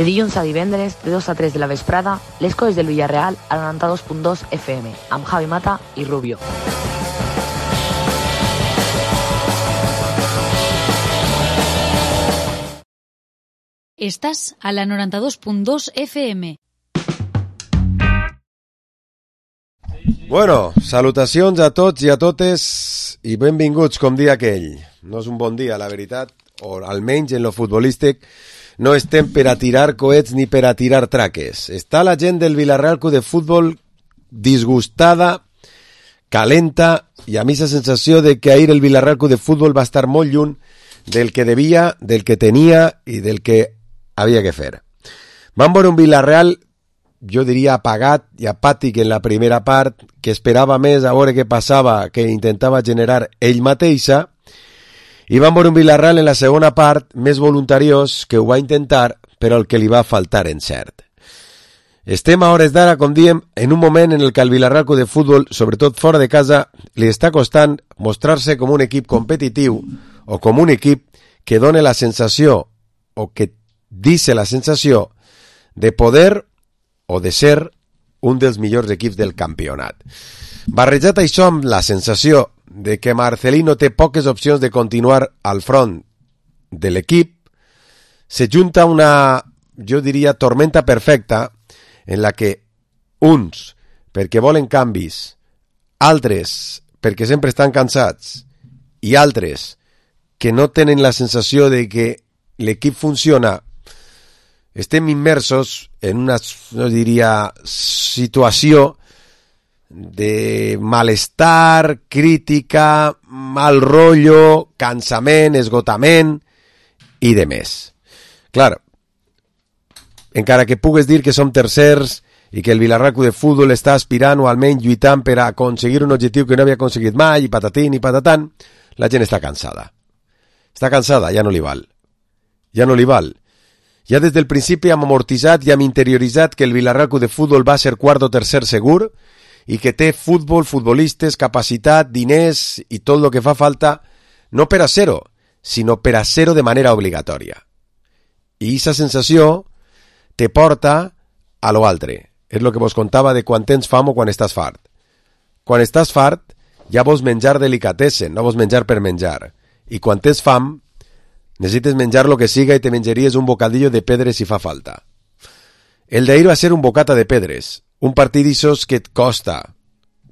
De dilluns a divendres, de 2 a 3 de la vesprada, les coses del Villarreal al 92.2 FM, amb Javi Mata i Rubio. Estàs a la 92.2 FM. Bueno, salutacions a tots i a totes i benvinguts, com dia aquell. No és un bon dia, la veritat, o almenys en lo futbolístic no estem per a tirar coets ni per a tirar traques. Està la gent del Villarreal Club de Futbol disgustada, calenta, i a mi la sensació de que ahir el Villarreal Club de Futbol va estar molt lluny del que devia, del que tenia i del que havia que fer. Vam veure un Villarreal, jo diria apagat i apàtic en la primera part, que esperava més a veure què passava, que intentava generar ell mateixa, i vam veure un Villarreal en la segona part més voluntariós, que ho va intentar, però el que li va faltar encert. Estem a hores d'ara, com diem, en un moment en el que el Villarreal Club de Futbol, sobretot fora de casa, li està costant mostrar-se com un equip competitiu o com un equip que dona la sensació, o que dice la sensació, de poder o de ser un dels millors equips del campionat. Barrejat això amb la sensació de que Marcelino té poques opcions de continuar al front de l'equip, se junta una, jo diria, tormenta perfecta en la que uns, perquè volen canvis, altres, perquè sempre estan cansats, i altres, que no tenen la sensació de que l'equip funciona, estem immersos en una, no diria, situació de malestar, crítica, mal rotllo, cansament, esgotament i de més. Clar, encara que pugues dir que som tercers i que el Villarreal Club de Futbol està aspirant o almenys lluitant per a aconseguir un objectiu que no havia aconseguit mai, i patatín i patatán, la gent està cansada. Està cansada, ja no li val. Ja no li val. Ja des del principi hem amortitzat i hem interioritzat que el Villarreal Club de Futbol va ser quart o tercer segur i que té futbol, futbolistes, capacitat, diners i tot el que fa falta, no per a ser-ho, sinó per a ser-ho de manera obligatòria. I aquesta sensació te porta a lo altre. És el que vos contava de quan tens fam o quan estàs fart. Quan estàs fart ja vols menjar delicatessen, no vols menjar per menjar. I quan tens fam necessites menjar lo que siga i te menjaries un bocadillo de pedres si fa falta. El d'ahir va ser un bocata de pedres, un partit d'ixos que et costa,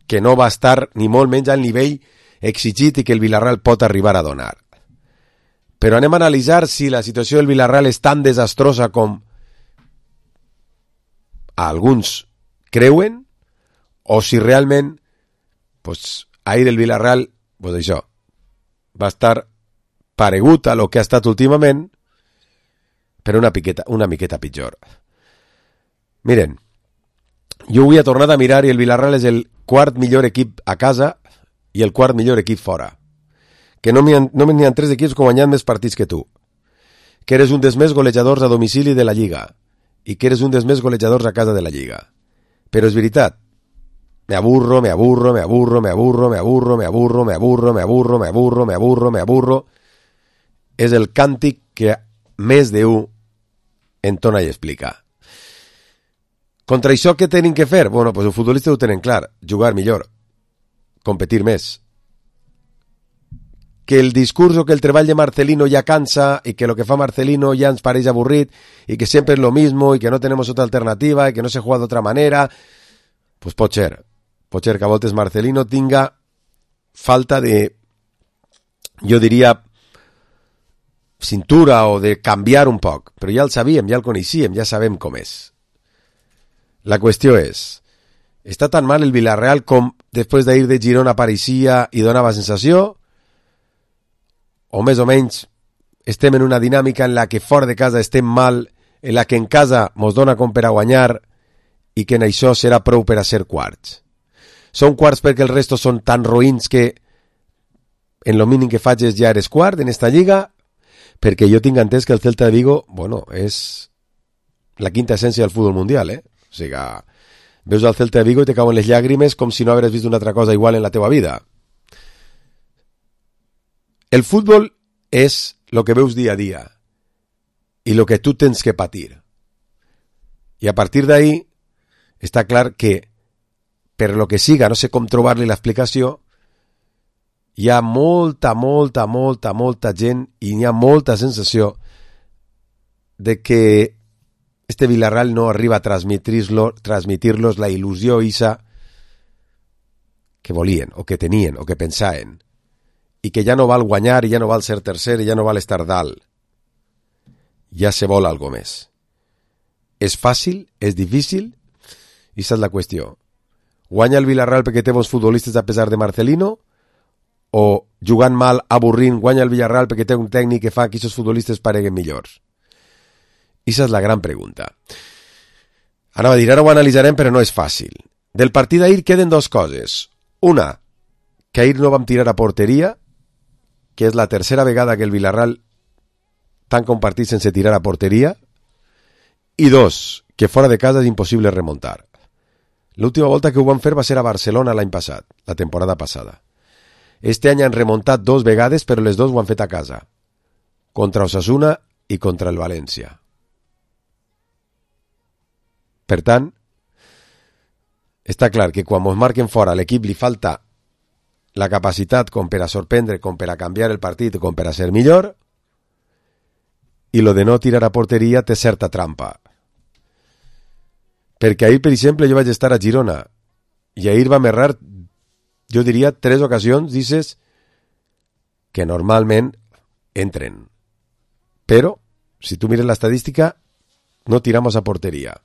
que no va estar ni molt menys al nivell exigit i que el Villarreal pot arribar a donar. Però anem a analitzar si la situació del Villarreal és tan desastrosa com alguns creuen, o si realment ahir el Villarreal, això, va estar paregut a lo que ha estat últimament, però una miqueta pitjor. Miren, jo avui he tornat a mirar i el Villarreal és el quart millor equip a casa i el quart millor equip fora. Que no n'hi ha 3 equips que han guanyat més partits que tu. Que eres un dels més golejadors a domicili de la Lliga i que eres un dels més golejadors a casa de la Lliga. Però és veritat, me aburro, és el càntic que més d'un entona i explica. Contra això què tenen que fer? Bueno, els futbolistes ho tenen clar, jugar millor, competir més. Que el discurs o que el treball de Marcelino ja cansa i que el que fa Marcelino ja ens pareix avorrit i que sempre és lo mismo i que no tenemos otra alternativa i que no se juega d'otra manera, pues pot ser que a voltes Marcelino tinga falta de, jo diria, cintura o de canviar un poc, però ja el sabíem, ja el coneixíem, ja sabem com és. La qüestió és, està tan mal el Villarreal com després d'ahir de Girona apareixia i donava sensació, o més o menys estem en una dinàmica en la que fora de casa estem mal, en la que en casa mos dona com per a guanyar i que en això serà prou per a ser quarts. Són quarts perquè els restos són tan roïns que en lo mínim que faig ja eres quart en esta lliga, perquè jo tinc entès que el Celta de Vigo, bueno, és la quinta essència del futbol mundial, O sigui, veus el Celta de Vigo i te cauen les llàgrimes com si no hagués vist una altra cosa igual en la teva vida. El futbol és el que veus dia a dia i el que tu tens que patir. I a partir d'ahí està clar que, per lo que siga, no sé com trobar-li l'explicació, hi ha molta gent i hi ha molta sensació de que este Villarreal no arriba a transmitir-los la il·lusió isa que volien, o que tenien, o que pensaven, i que ja no val guanyar, i ja no val ser tercer, i ja no val estar dalt. Ja se vol algo més. És fàcil? És difícil? I aquesta és la qüestió. Guanya el Villarreal perquè té bons futbolistes a pesar de Marcelino? O jugant mal, avorrint, guanya el Villarreal perquè té un tècnic que fa que aquests futbolistes pareguen millors? Aquesta és la gran pregunta. Anava a dir, ara ho analitzarem, però no és fàcil. Del partit d'ahir queden dues coses. Una, que ahir no vam tirar a porteria, que és la tercera vegada que el Villarreal tanca un partit sense tirar a porteria, i dos, que fora de casa és impossible remuntar. L'última volta que ho van fer va ser a Barcelona l'any passat, la temporada passada. Este any han remuntat 2 vegades, però les 2 ho han fet a casa, contra Osasuna i contra el València. Per tant, està clar que quan ens marquen fora a l'equip li falta la capacitat com per a sorprendre, com per a canviar el partit, com per a ser millor, i lo de no tirar a porteria té certa trampa. Perquè ahir, per exemple, jo vaig estar a Girona i ahir vam errar, jo diria, 3 ocasions, dices, que normalment entren. Però, si tu mires l'estadística, no tiramos a porteria.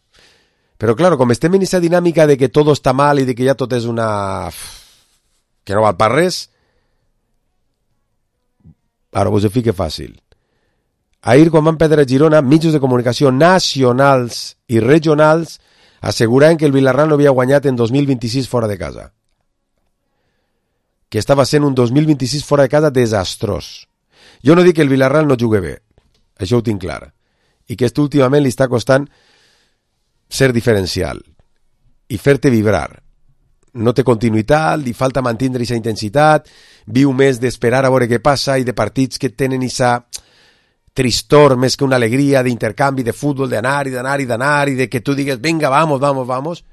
Però, claro, com estem en aquesta dinàmica de que tot està mal i de que ja tot és una... que no val per res, ara vos ho fique fàcil. Ahir, quan van perdre a Girona, mitjans de comunicació nacionals i regionals asseguraven que el Villarreal no havia guanyat en 2026 fora de casa. Que estava sent un 2026 fora de casa desastrós. Jo no dic que el Villarreal no jugui bé, això ho tinc clar, i que últimament li està costant ser diferencial i fer-te vibrar. No té continuïtat, li falta mantindre aquesta intensitat, viu més d'esperar a veure què passa i de partits que tenen aquesta tristor més que una alegria d'intercanvi de futbol, d'anar i de que tu digues, venga, vamos,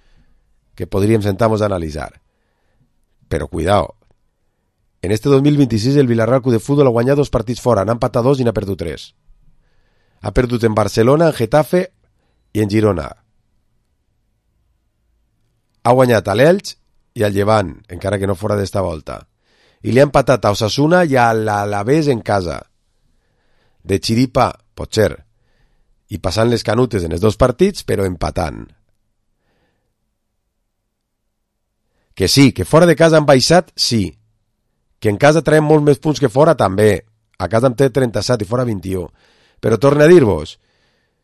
que podríem sentar-nos a analitzar. Però cuidao, en este 2026 el Villarreal Club de Fútbol ha guanyat 2 partits fora, n'ha empatat 2 i n'ha perdut 3. Ha perdut en Barcelona, en Getafe i en Girona. Ha guanyat a l'Elx i al Llevant, encara que no fora d'esta volta. I li ha empatat a Osasuna i a l'Alavés en casa. De xiripa, pot ser, i passant les canutes en els 2 partits, però empatant. Que sí, que fora de casa han baixat, sí. Que en casa traiem molts més punts que fora, també. A casa en té 37 i fora 21. Però torno a dir-vos,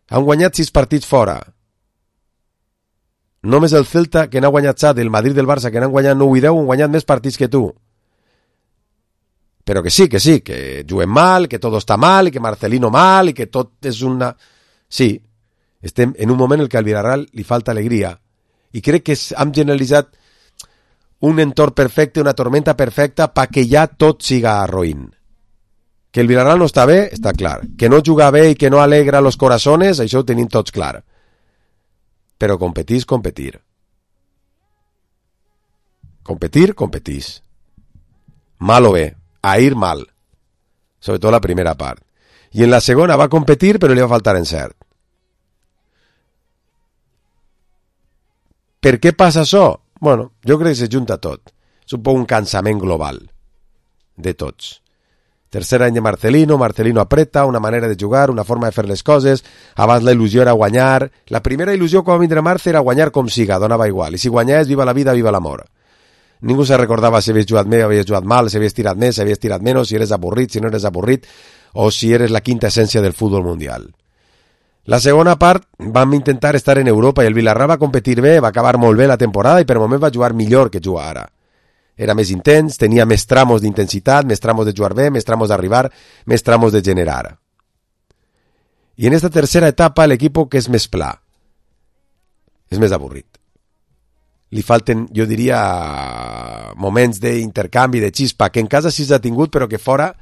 han guanyat 6 partits fora. Només el Celta, que n'ha guanyat 7, el Madrid del Barça, que n'han guanyat 9 i 10, han guanyat més partits que tu. Però que sí, que juguen mal, que tot està mal, i que Marcelino mal, i que tot és una... Sí, estem en un moment en què al Villarreal li falta alegria. I crec que hem generalitzat un entorn perfecte, una tormenta perfecta, perquè ja tot siga roïn. Que el Villarreal no està bé, està clar. Que no juga bé i que no alegra los corazones, això ho tenim tots clar. Però competís. Competís. Mal o bé. Ahir mal, sobretot la primera part. I en la segona va competir, però li va faltar encert. Per què passa això? Bueno, jo crec que se junta tot. És un poc un cansament global de tots. Tercer any de Marcelino apreta, una manera de jugar, una forma de fer les coses. Abans la il·lusió era guanyar. La primera il·lusió quan va vindre Marce era guanyar com siga, donava igual. I si guanyaves, viva la vida, viva l'amor. Ningú se recordava si havies jugat bé o havies jugat mal, si havies tirat més, si havies tirat menys, si eres avorrit, si no eres avorrit, o si eres la quinta essència del futbol mundial. La segona part vam intentar estar en Europa i el Villarreal va competir bé, va acabar molt bé la temporada i per moment va jugar millor que juga ara. Era més intens, tenia més tramos d'intensitat, més tramos de jugar bé, més tramos d'arribar, més tramos de generar. I en esta tercera etapa l'equip que és més pla, és més avorrit. Li falten, jo diria, moments d'intercanvi, de xispa, que en casa sí s'ha tingut, però que fora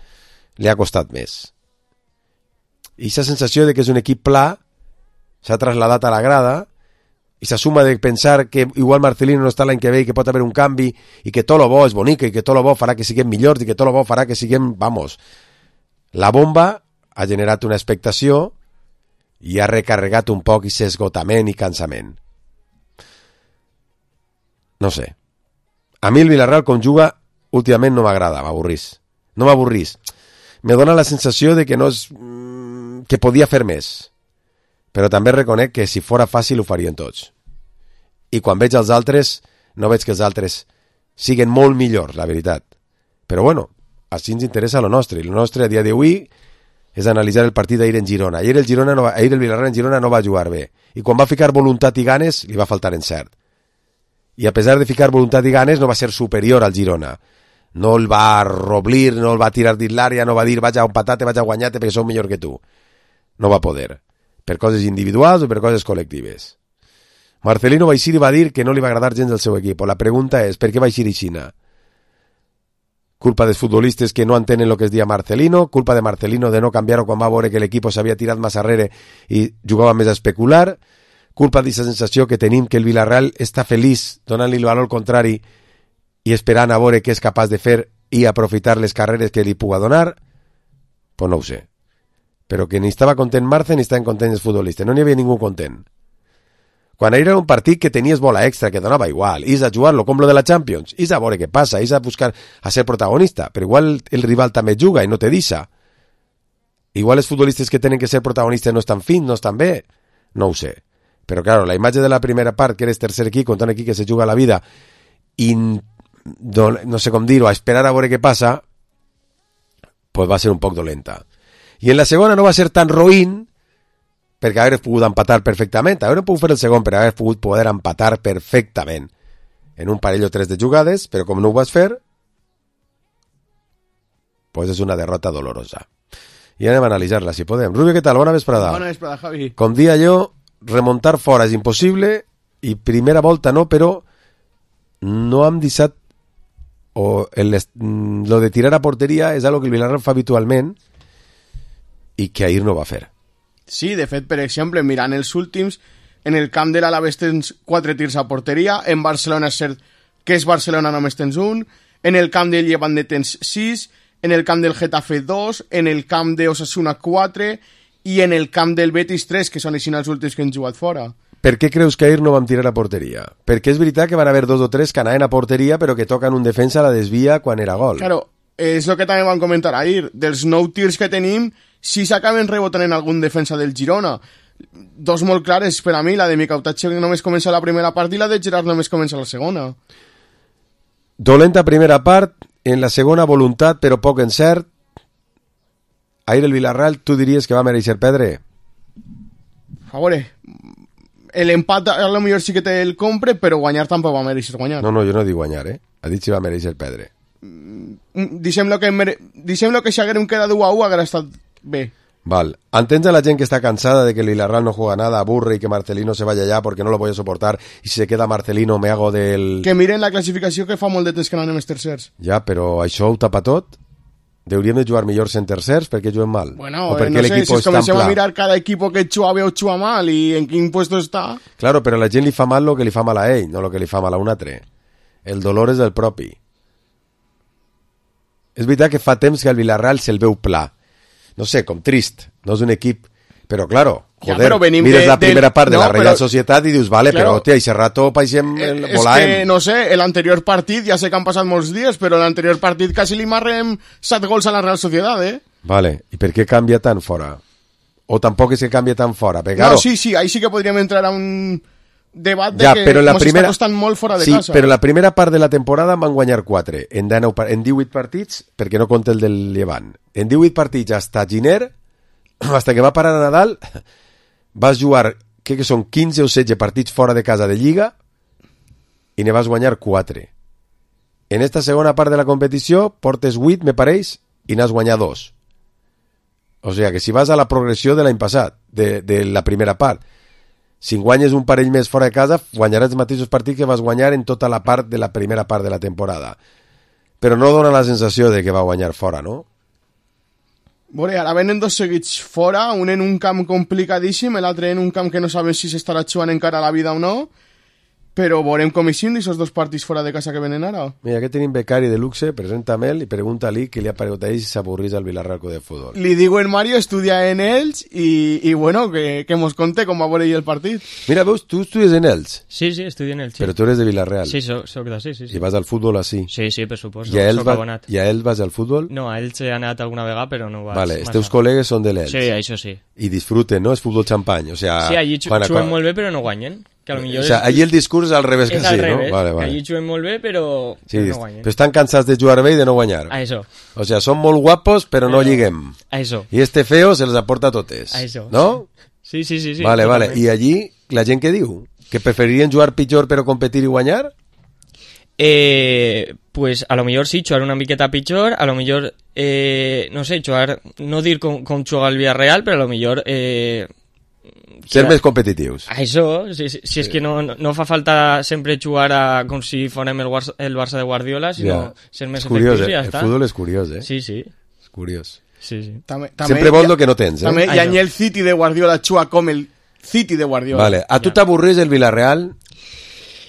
li ha costat més. I aquesta sensació de que és un equip pla s'ha traslladat a la grada i la suma de pensar que igual Marcelino no està l'any que ve i que pot haver un canvi i que tot lo bo és bonic i que tot lo bo farà que siguem millors i que tot lo bo farà que siguem, vamos, la bomba ha generat una expectació i ha recarregat un poc aquest esgotament i cansament. No sé. A mi el Villarreal com juga últimament no m'agrada, m'avorrís. No m'avorrís. Me dona la sensació de que no és... que podia fer més. Però també reconec que si fora fàcil ho farien tots. I quan veig els altres, no veig que els altres siguen molt millors, la veritat. Però bueno, així ens interessa lo nostre. I lo nostre a dia d'avui és analitzar el partit d'ahir en Girona. Ahir el Villarreal en Girona no va jugar bé. I quan va ficar voluntat i ganes, li va faltar encert. I a pesar de ficar voluntat i ganes, no va ser superior al Girona. No el va roblir, no el va tirar dins l'àrea, no va dir vaig a empatar-te, vaig a guanyar-te perquè sou millor que tu. No va poder. Per coses individuals o per coses col·lectives. Marcelino va eixir i va dir que no li va agradar gens el seu equip. La pregunta és, per què va eixir aixina? Culpa dels futbolistes que no entenen el que es dia Marcelino, culpa de Marcelino de no canviar-ho quan va veure que l'equip s'havia tirat massa arrere i jugava més a especular, culpa d'aquesta sensació que tenim que el Villarreal està feliç donant-li el valor contrari i esperant a veure què és capaç de fer i aprofitar les carreres que li puga donar, pues no ho sé. Però que ni estava content Marce ni estaven contents els futbolistes, no n'hi havia ningú content. Quan era un partit que tenies bola extra, que donava igual, is a jugar-lo com lo de la Champions, is a veure què passa, is a buscar a ser protagonista, però igual el rival també juga i no te deixa. Igual els futbolistes que tenen que ser protagonistes no estan fins, no estan bé, no ho sé. Però claro, la imatge de la primera part, que eres tercer equip, contra un equip que se juga la vida i no sé com dir-ho, a esperar a veure què passa, pues va ser un poc dolenta. I en la segona no va ser tan roïn perquè haver pogut empatar perfectament. Haver pogut fer el segon per haver pogut poder empatar perfectament en un parell o tres de jugades, però com no ho vas fer, pues és una derrota dolorosa. I anem a analitzar-la, si podem. Rubio, què tal? Bona vesprada. Bona vesprada, Javi. Com dia jo, remuntar fora és impossible i primera volta no, però no hem deixat lo de tirar a porteria és algo que el Villarreal fa habitualment i que ahir no va fer. Sí, de fet, per exemple, mirant els últims, en el camp de l'Alavés tens 4 tirs a porteria, en Barcelona és cert que és Barcelona només tens un, en el camp del Levante tens 6, en el camp del Getafe 2, en el camp de Osasuna 4 i en el camp del Betis 3, que són així els últims que han jugat fora. Per què creus que ahir no vam tirar a porteria? Perquè és veritat que van haver 2 o 3 que anaven a porteria però que toquen un defensa a la desvia quan era gol. Claro, és el que també vam comentar ahir. Dels 9 tirs que tenim, 6 acaben rebotant en algun defensa del Girona. 2 molt clares per a mi, la de Mikautatxe que només comença la primera part i la de Gerard només comença la segona. Dolenta primera part, en la segona voluntat però poc encert. Ahir el Villarreal tu diries que va mereixer perdre? A veure, l'empat a lo millor sí que te el compre, però guanyar tampoc va mereixer guanyar. No, jo no dic guanyar, ha dit si va mereixer perdre. Deixem lo que si haguérem quedat 1-1 haguera estat bé. Val. Entens a la gent que està cansada de que el Villarreal no juega nada, aburre y que Marcelino se vaya ya porque no lo voy a soportar y si se queda Marcelino me hago del... Que miren la classificació que fa molt de temps que no anem els tercers. Ja, però això ho tapa tot? Hauríem de jugar millors en tercers perquè juguen mal? Bueno, o perquè no sé, si comencem a mirar cada equipo que juga bé o juga mal i en quin puesto està... Claro, però a la gent li fa mal lo que li fa mal a ell, no lo que li fa mal a un altre. El dolor és del propi. És veritat que fa temps que el Villarreal se'l veu pla. No sé, com trist. No és un equip... Però, claro, joder, ja, mires la primera part de la Real Societat i dius, vale, claro, però, hòstia, aquest rato paixem volàvem. És que, no sé, l'anterior partit, ja sé que han passat molts dies, però l'anterior partit quasi li marrem 7 gols a la Real Societat, Vale, i per què canvia tant fora? O tampoc és que canvia tant fora? Perquè, no, claro, sí, ahí sí que podríem entrar a un debat de ja, que ens està costant molt fora de casa. Sí, però la primera part de la temporada van guanyar 4, en 18 partits, perquè no compta el del Llevant. En 18 partits, hasta Giner, hasta que va parar a Nadal, vas jugar, que són 15 o 16 partits fora de casa de Lliga i ne vas guanyar 4. En esta segona part de la competició portes 8, me pareix, i n'has guanyat 2. O sigui que si vas a la progressió de l'any passat, de la primera part, si guanyes un parell més fora de casa, guanyaràs els mateixos partits que vas guanyar en tota la part de la primera part de la temporada. Però no dona la sensació de que va guanyar fora, no? Veure, ara venen dos seguits fora, un en un camp complicadíssim, l'altre en un camp que no sabem si s'estarà jugant encara a la vida o no, però veurem com eixim d'aquests dos partits fora de casa que venen ara. Mira, aquí tenim becari de luxe, presenta-me'l i pregunta-li què li ha paregut a ell si s'avorrís al Villarreal Club de Futbol. Li digo en Mario, estudia en ells i bueno, que mos conte com va veure ell el partit. Mira, veus, tu estudies en ells, Sí, estudio en el però tu eres de Villarreal Sí, soc d'ací, sí. i vas al futbol així. Sí, per suposo, I a ells, soc abonat. I a ells vas al futbol? No, a ells he anat alguna vegada, però no vaig Vale, els massa. teus col·legues són de l'Ells. Sí, això sí. I disfruten, no? És futbol xampany, o sea... Sí, allí quan juguen molt bé, però no guanyen. Que a lo millor O sea, allí el discurs és al revés que és sí, al revés, no? Vale, que vale. allí juguen molt bé, però Sí, no guanyen. però estan cansats de jugar bé i de no guanyar. A eso, O sea, són molt guapos, però no lliguem. a eso, I este feo se les aporta totes. a eso. No? Sí. Vale, vale. totalment. I allí, la gent què diu? Que preferirien jugar pitjor però competir i guanyar? Pues a lo millor sí, jugar una miqueta pitjor, a lo millor, no sé, jugar, no dir com jugar el Villarreal, però a lo millor... Ser més competitius. A això, si és que no fa falta sempre jugar com si fórem el Barça de Guardiola, sinó ser més És curiós, efectius i ja El està. futbol és curiós, Sí. És curiós. Sí. Sempre vols lo que no tens, També, Això. i el City de Guardiola juga com el City de Guardiola. Vale, a tu t'avorreix el Villarreal?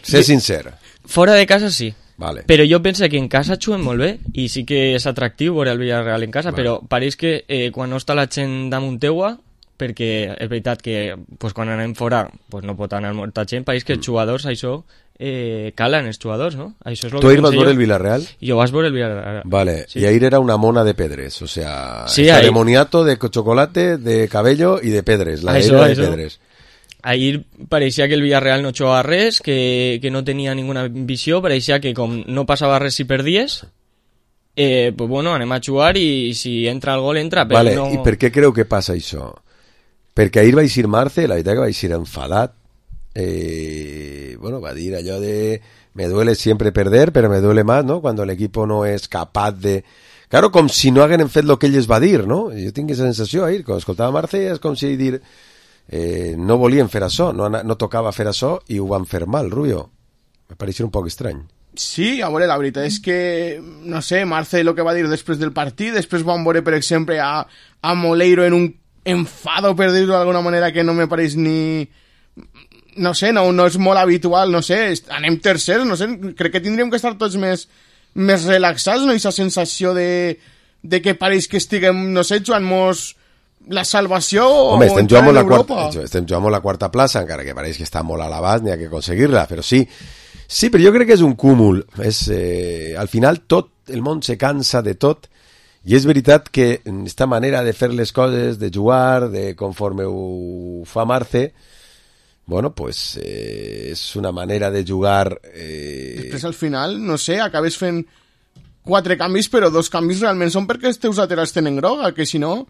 Sé sincer. Fora de casa sí. Vale. Però jo penso que en casa juguen molt bé i sí que és atractiu veure el Villarreal en casa, Vale. però pareix que quan no està la gent damunt teua, perquè és veritat que pues, quan anem fora pues, no pot anar molta gent, pareix que els jugadors això calen els jugadors, no? Això és lo Tu que ahir vas penso veure el jo. Villarreal? Jo vas veure el Villarreal. Vale, Sí. y ahí era una mona de pedres, o sea, Sí, está ahí- de moniato, de chocolate, de cabello y de pedres, la Això, era de això. pedres. Ahir pareixia que el Villarreal no jugava res, que no tenia ninguna visió, pareixia que com no passava res si perdies, pues bueno, anem a jugar i si entra el gol, entra, però Vale, no... i per què creu que passa això? Perquè ahir va eixir Marce, la veritat que va eixir enfadat, bueno, va dir allò de me duele siempre perder, pero me duele más, ¿no? Cuando el equipo no es capaz de... Claro, com si no hagueren fet el que ell es va dir, no? Jo tinc aquesta sensació ahir, quan escoltava Marce és com si dir no volien fer això, no tocava fer això i ho van fer mal, Rubio. Me pareixia un poc estrany. Sí, a veure, la veritat és que, no sé, Marce el que va dir després del partit, després van veure, per exemple, a Moleiro en un enfado, per dir-ho d'alguna manera, que no me pareix ni... No sé, no és molt habitual, no sé, anem tercers, no sé, crec que tindríem que estar tots més relaxats, no? Aquesta sensació de que pareix que estiguem, no sé, jugant-nos la salvació Home, o estem entrar jugant en amb Europa. estem jugant amb la quarta plaça, encara que pareix que està molt a l'abast, n'hi ha que aconseguir-la, però sí, però jo crec que és un cúmul. Al final tot el món se cansa de tot, i és veritat que esta manera de fer les coses, de jugar, de conforme ho fa Marce, bueno, pues és una manera de jugar... Després al final, no sé, acabes fent 4 canvis, però 2 canvis realment són perquè els teus laterals tenen groga, que si no...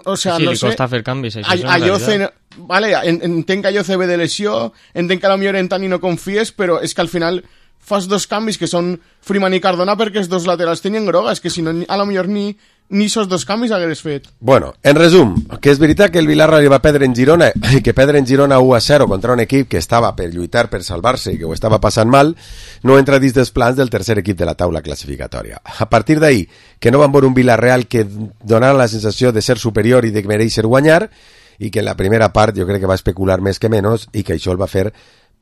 O sea, sí, no li sé. costa fer canvis, això és una Ayoce, realitat. vale, entenc que Ayoce ve de lesió, entenc que potser en Tani no confies, però és que al final fas 2 canvis que són Freeman i Cardona perquè els 2 laterals tenien groga, és que si no, a lo millor ni esos 2 canvis hagués fet. Bueno, en resum, que és veritat que el Villarreal va perdre en Girona i que perdre en Girona 1-0 contra un equip que estava per lluitar per salvar-se i que ho estava passant mal, no entra dins dels plans del tercer equip de la taula classificatòria. A partir d'ahir, que no van veure un Villarreal que donara la sensació de ser superior i de mereixer guanyar, i que en la primera part jo crec que va especular més que menys i que això el va fer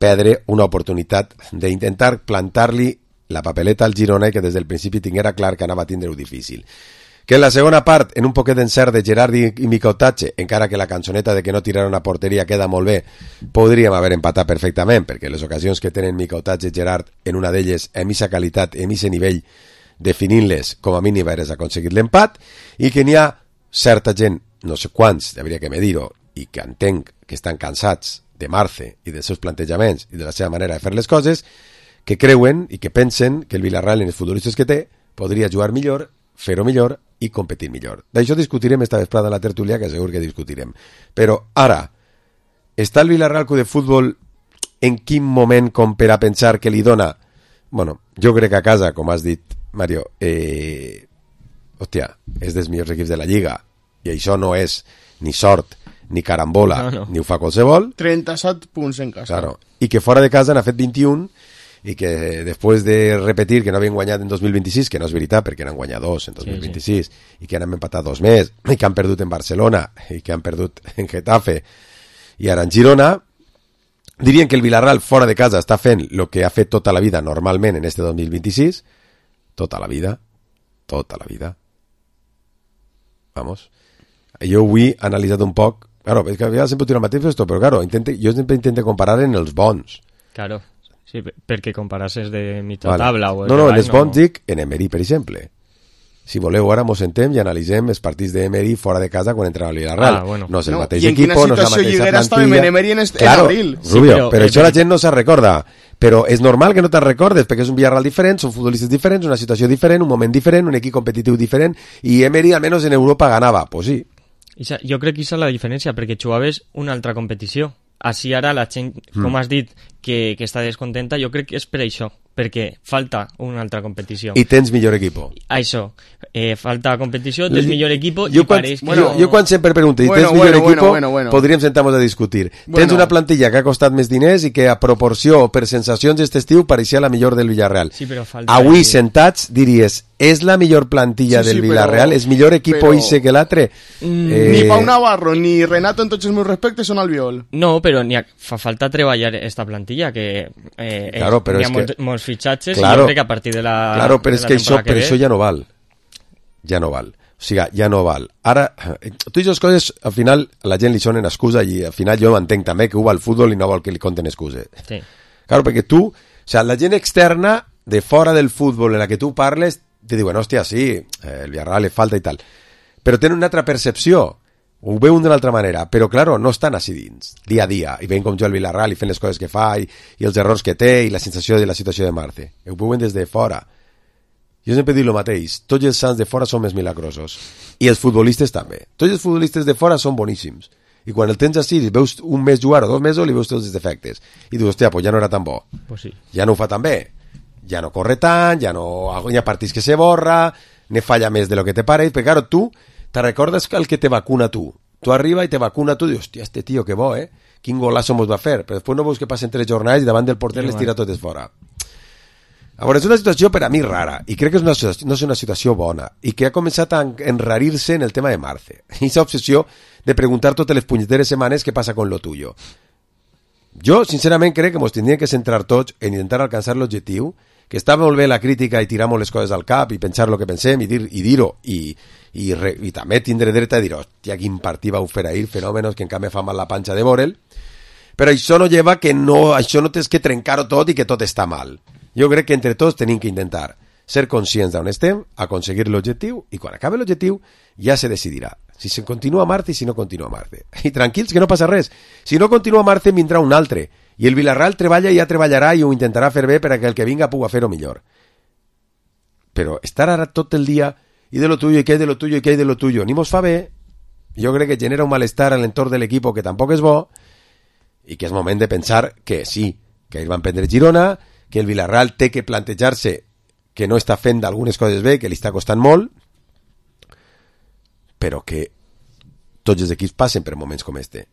perdre una oportunitat d'intentar plantar-li la papeleta al Girona i que des del principi tinguera clar que anava a tindre-ho difícil. Que en la segona part, en un poquet d'encert de Gerard i Micautatge, encara que la cançoneta de que no tiraran a porteria queda molt bé, podríem haver empatat perfectament, perquè les ocasions que tenen Micautatge i Gerard, en una d'elles, en aquesta qualitat, en aquest nivell, definint-les, com a mínim hagués aconseguit l'empat, i que n'hi ha certa gent, no sé quants, hauria que medir-ho, i que entenc que estan cansats de Marce i dels seus plantejaments i de la seva manera de fer les coses, que creuen i que pensen que el Villarreal, en els futbolistes que té, podria jugar millor, fer-ho millor i competir millor. D'això discutirem esta vesprada a la tertúlia, que segur que discutirem. Però ara, està el Villarreal Club de Futbol en quin moment com per a pensar que li dona... Bueno, jo crec que a casa, com has dit, Mario, hòstia, és dels millors equips de la Lliga, i això no és ni sort, ni carambola, No. ni ho fa qualsevol. 37 punts en casa. Claro. I que fora de casa n'ha fet 21, i que després de repetir que no havien guanyat en 2026, que no és veritat perquè n'han guanyat 2 en 2026, i que han empatat 2 més, i que han perdut en Barcelona, i que han perdut en Getafe, i ara en Girona, dirien que el Villarreal fora de casa està fent el que ha fet tota la vida normalment en este 2026, tota la vida, vamos. Jo avui he analitzat un poc, claro, és que ja sempre tiro el mateix esto, però claro, jo sempre intento comparar en els bons. Claro, sí, perquè comparasses de mitja tabla. O no, en els bons dic en Emery, per exemple. Si voleu, ara mos sentem i analitzem els partits d'Emery fora de casa quan entra al Villarreal. Bueno. No és el mateix equip, no és la mateixa plantilla. En Emery en claro, abril. Rubio, però això la gent no se'n recorda. Però és normal que no te'n recordes, perquè és un Villarreal diferent, són futbolistes diferents, una situació diferent, un moment diferent, un equip competitiu diferent, i Emery almenys en Europa ganava. Pues sí. Jo crec que és la diferència, perquè jugaves una altra competició. Així ara la gent, com has dit, que està descontenta, jo crec que és per això, perquè falta una altra competició. I tens millor equip. Això, falta competició, tens millor equip i pareix que... Jo quan sempre pregunto, tens millor equip, podríem sentar-nos a discutir. Tens una plantilla que ha costat més diners i que a proporció o per sensacions aquest estiu pareixia la millor del Villarreal. Sí, però falta... Avui sentats diries, és la millor plantilla del Villarreal? És millor equip Oise que l'altre? Ni Pau Navarro ni Renato, en tots els meus respectes, són Albiol. No, però fa falta treballar esta plantilla, que claro, hi ha molts fitxatges, claro, i jo crec que a partir de la claro, però és que això ja no val. Ja no val. O sigui, ja no val. Ara, tu i les coses, al final, a la gent li sonen excusa i al final jo entenc també que ho va al futbol i no vol que li conten excuses. Sí. Claro, perquè tu, o sea, la gent externa de fora del futbol en la que tu parles te diuen, hòstia, sí, el Villarreal le falta i tal. Però tenen una altra percepció. Ho veuen d'una altra manera, però, claro, no estan així dins, dia a dia, i veuen com jo el Villarreal i fent les coses que fa, i els errors que té, i la sensació de la situació de Marce. Ho veuen des de fora. Jo sempre dic el mateix, tots els sants de fora són més milagrosos, i els futbolistes també. Tots els futbolistes de fora són boníssims, i quan el tens així, veus un mes jugar o 2 mesos, li veus tots els defectes, i dius, hòstia, pues ja no era tan bo, pues sí. Ja no ho fa tan bé, ja no corre tant, ja no hi ha partits que se borra, ne falla més de lo que te pareix, perquè, claro, tu te recordes que el que te vacuna tu arriba i te vacuna tu, dius, hòstia, este tio que bo, quin golazo mos va fer, però després no veus que passen 3 jornades i davant del porter les tira totes fora. A veure, és una situació per a mi rara, i crec que no és una situació bona, i que ha començat a enrarir-se en el tema de Marce, i aquesta obsessió de preguntar totes les punyeteres setmanes què passa con lo tuyo. Jo, sincerament, crec que mos tindríem que centrar tots en intentar alcançar l'objectiu, que està molt bé la crítica i tirar molt les coses al cap i pensar el que pensem i dir-ho i també tindre dret a dir, hòstia, quin partit vau fer ahir, fenòmenos que encara me fa mal la panxa de veure'l, però això no lleva que això no tens que trencar-ho tot i que tot està mal. Jo crec que entre tots tenim que intentar ser conscients d'on estem, aconseguir l'objectiu, i quan acabi l'objectiu ja se decidirà si se continua Marce i si no continua Marce. I tranquils, que no passa res. Si no continua Marce, vindrà un altre. I el Villarreal treballa i ja treballarà i ho intentarà fer bé per a que el que vinga pugui fer-ho millor. Però estar ara tot el dia i de lo tuyo, i que hay de lo tuyo, i que hay de lo tuyo, ni mos fa bé. Jo crec que genera un malestar en l'entorn de l'equip que tampoc és bo i que és moment de pensar que sí, que ells van prendre Girona, que el Villarreal té que plantejar-se que no està fent algunes coses bé, que li està costant molt, però que tots els equips passen per moments com este.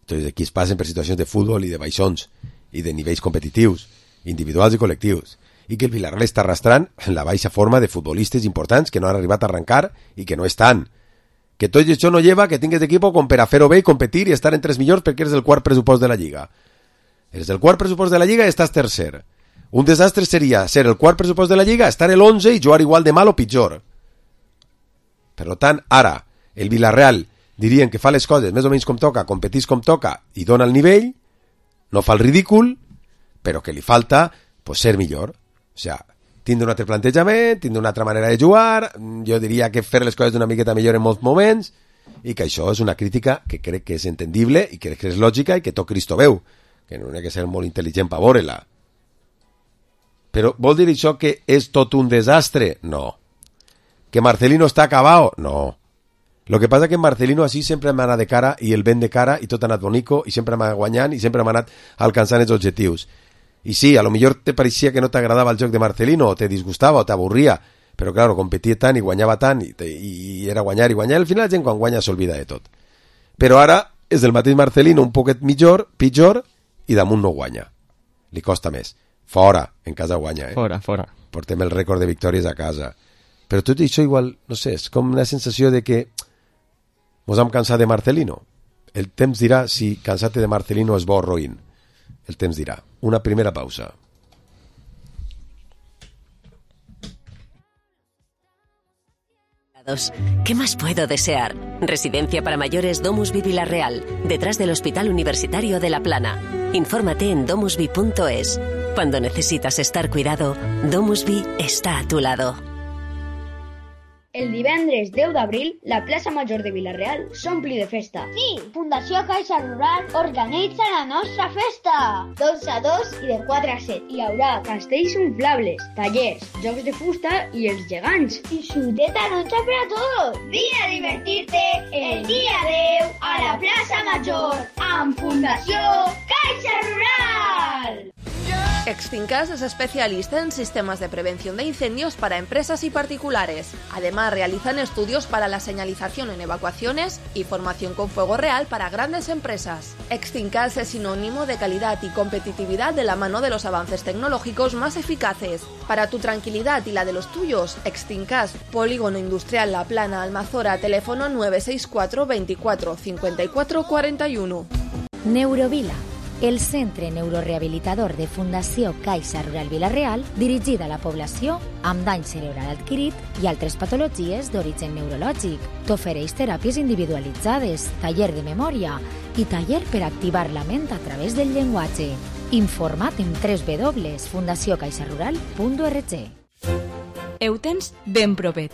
Tots els equips passen per situacions de futbol i de baixons i de nivells competitius, individuals i col·lectius, i que el Villarreal està arrastrant la baixa forma de futbolistes importants que no han arribat a arrencar i que no estan. Que tot això no lleva que tingues equip com per a fer-ho bé i competir i estar entre els millors perquè eres el quart pressupost de la Lliga. Eres el quart pressupost de la Lliga i estàs tercer. Un desastre seria ser el quart pressupost de la Lliga, estar el 11 i jugar igual de mal o pitjor. Per tant, ara, el Villarreal dirien que fa les coses més o menys com toca, competís com toca i dona el nivell, no fa el ridícul, però que li falta pues, ser millor. O sigui, tindre un altre plantejament, tindre una altra manera de jugar, jo diria que fer les coses d'una miqueta millor en molts moments, i que això és una crítica que crec que és entendible i crec que és lògica i que tot Cristo veu, que no ha que ser molt intel·ligent per veure-la. Però vol dir això que és tot un desastre? No. Que Marcelino està acabat? No. Lo que passa que en Marcelino així sempre m'ha anat de cara i el vent de cara i tot ha anat bonico i sempre m'ha guanyant i sempre m'ha anat alcançant els objectius. I sí, a lo millor te pareixia que no t'agradava el joc de Marcelino o te disgustava o t'avorria, però claro, competia tant i guanyava tant i era guanyar i guanyar, al final la gent quan guanya s'olvida de tot. Però ara és el mateix Marcelino un poquet pitjor i damunt no guanya. Li costa més. Fora, en casa guanya, Fora. Portem el rècord de victòries a casa. Però tot això igual, no sé, és com una sensació de que mos hem cansat de Marcelino. El temps dirà si cansar-te de Marcelino és bo o roïn. El temps dirà. Una primera pausa. ¿Qué más puedo desear? Residencia para mayores Domusvi Vilarreal, detrás del Hospital Universitario de La Plana. Infórmate en domusvi.es. Cuando necesitas estar cuidado, Domusvi está a tu lado. El divendres 10 d'abril, la plaça Major de Vilareal s'ompli de festa. Sí, Fundació Caixa Rural organitza la nostra festa. 12 a 2 i de 4 a 7. Hi haurà castells inflables, tallers, jocs de fusta i els gegants. I xuteta noche per a tots. Vine a divertir-te el dia 10 a la plaça Major amb Fundació Caixa Rural. Extincas es especialista en sistemas de prevención de incendios para empresas y particulares. Además, realizan estudios para la señalización en evacuaciones y formación con fuego real para grandes empresas. Extincas es sinónimo de calidad y competitividad de la mano de los avances tecnológicos más eficaces. Para tu tranquilidad y la de los tuyos, Extincas, Polígono Industrial La Plana, Almazora, teléfono 964 24 54 41. Neurovila, el centre neurorehabilitador de Fundació Caixa Rural Vilareal, dirigida a la població amb dany cerebral adquirit i altres patologies d'origen neurològic. T'ofereix teràpies individualitzades, taller de memòria i taller per activar la ment a través del llenguatge. Informa't en www.fundaciocaixarural.org. Ho tens ben propet.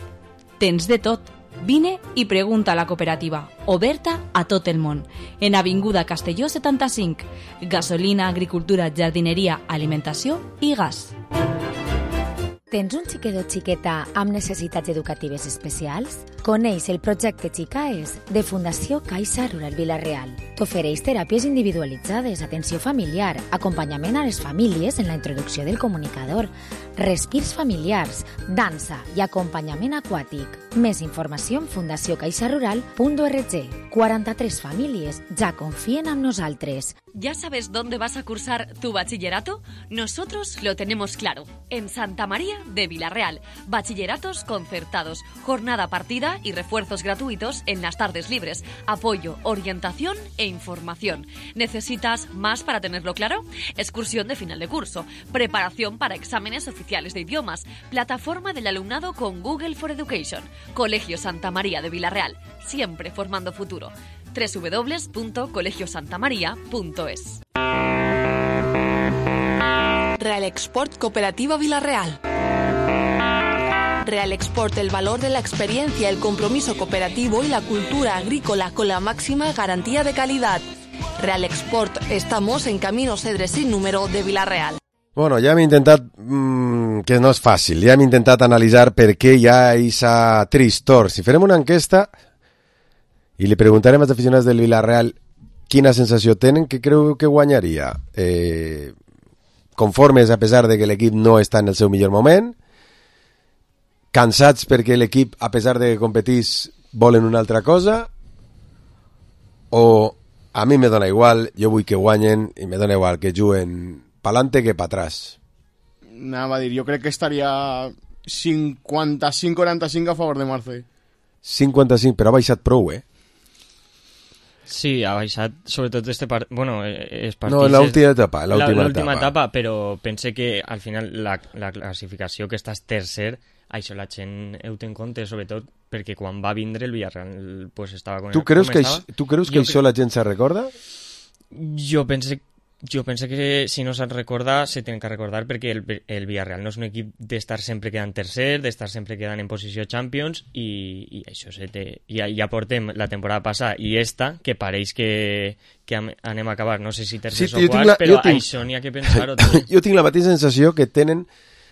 Tens de tot. Vine i pregunta a la cooperativa, oberta a tot el món, en Avinguda Castelló 75, gasolina, agricultura, jardineria, alimentació i gas. Tens un xiquet o xiqueta amb necessitats educatives especials? Coneix el projecte Xicaes de Fundació Caixa Rural Vilareal. T'ofereix teràpies individualitzades, atenció familiar, acompanyament a les famílies en la introducció del comunicador, respirs familiars, dansa i acompanyament aquàtic. Més informació en fundaciocaixarural.org. 43 famílies ja confien en nosaltres. ¿Ya sabes dónde vas a cursar tu bachillerato? Nosotros lo tenemos claro. En Santa María de Vilareal. Bachilleratos concertados, jornada partida y refuerzos gratuitos en las tardes libres. Apoyo, orientación e información. ¿Necesitas más para tenerlo claro? Excursión de final de curso. Preparación para exámenes oficiales de idiomas. Plataforma del alumnado con Google for Education. Colegio Santa María de Vilareal. Siempre formando futuro. www.colegiosantamaria.es. Real Export Cooperativa Vilareal. Real Export, el valor de la experiencia, el compromiso cooperativo y la cultura agrícola con la máxima garantía de calidad. Real Export, estamos en Camino Cedre sin número de Vilareal. Bueno, ja hem intentat, que no és fàcil, ja hem intentat analitzar per què hi ha aquesta tristor. Si farem una enquesta i li preguntarem als aficionats del Vilareal quina sensació tenen, què creu que guanyaria? Conformes a pesar de que l'equip no està en el seu millor moment, cansats perquè l'equip, a pesar de que competís, volen una altra cosa, o a mi me dona igual, jo vull que guanyen i me dona igual que juguen pa'lante que pa atrás. Anava a dir, jo crec que estaria 55-45 a favor de Marce. 55, però ha baixat prou, Sí, ha baixat, sobretot els partits... No, en l'última etapa. L'última etapa, però pense que al final la classificació que estàs tercer, això la gent ho té en compte, sobretot perquè quan va vindre el Villarreal pues estava com tu creus que això la gent se recorda? Jo pense que si no se'n recorda, se tenen que recordar perquè el Villarreal no és un equip d'estar sempre quedant tercer, d'estar sempre quedant en posició Champions i això ja portem la temporada passada i esta, que pareix que anem a acabar, no sé si tercers o quarts, però això n'hi ha que pensar-ho. Jo tinc la mateixa sensació que tenen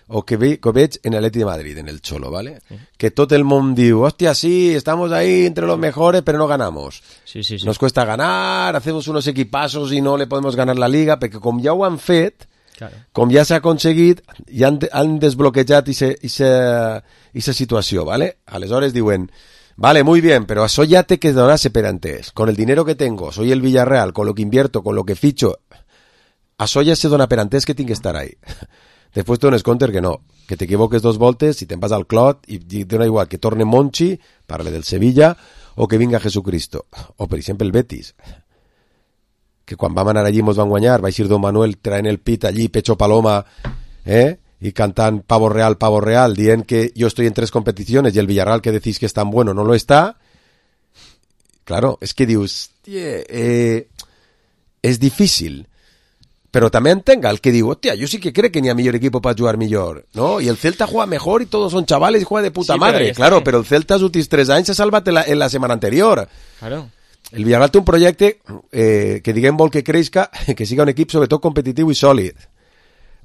o que veig en el Atleti de Madrid, en el Cholo, ¿vale? Sí. Que todo el mundo diu, hostia, sí, estamos ahí entre los mejores, pero no ganamos. Sí. Nos cuesta ganar, hacemos unos equipazos y no le podemos ganar la Liga, perquè com ja ho han fet, claro, com ja s'ha aconseguit, ja han desbloquejat esa situació, ¿vale? Aleshores diuen, vale, muy bien, pero això ya te quedará per antes. Con el dinero que tengo, soy el Villarreal, con lo que invierto, con lo que ficho, Això ja se dona per entès que tinc que estar ahí. Després te dones compte que no, que t'equivoques 2 voltes i te'n vas al clot i dona igual que torne Monchi, parle del Sevilla, o que vinga Jesucristo. O, per exemple, el Betis, que quan vam anar allí mos van guanyar, va eixir Don Manuel traent el pit allí, pecho paloma, y cantant pavo real, dient que yo estoy en 3 competiciones y el Villarreal que decís que es tan bueno no lo está. Claro, es que dius, és difícil. Pero también tenga el que digo, hostia, yo sí que creo que ni a mejor equipo para jugar mejor, ¿no? Y el Celta juega mejor y todos son chavales y juega de puta madre. Claro, pero el Celta els últims 3 anys se salvat en la semana anterior. Claro. El Villarreal té un projecte que diguem vol que creixca, que siga un equip sobretot competitiu i sòlid.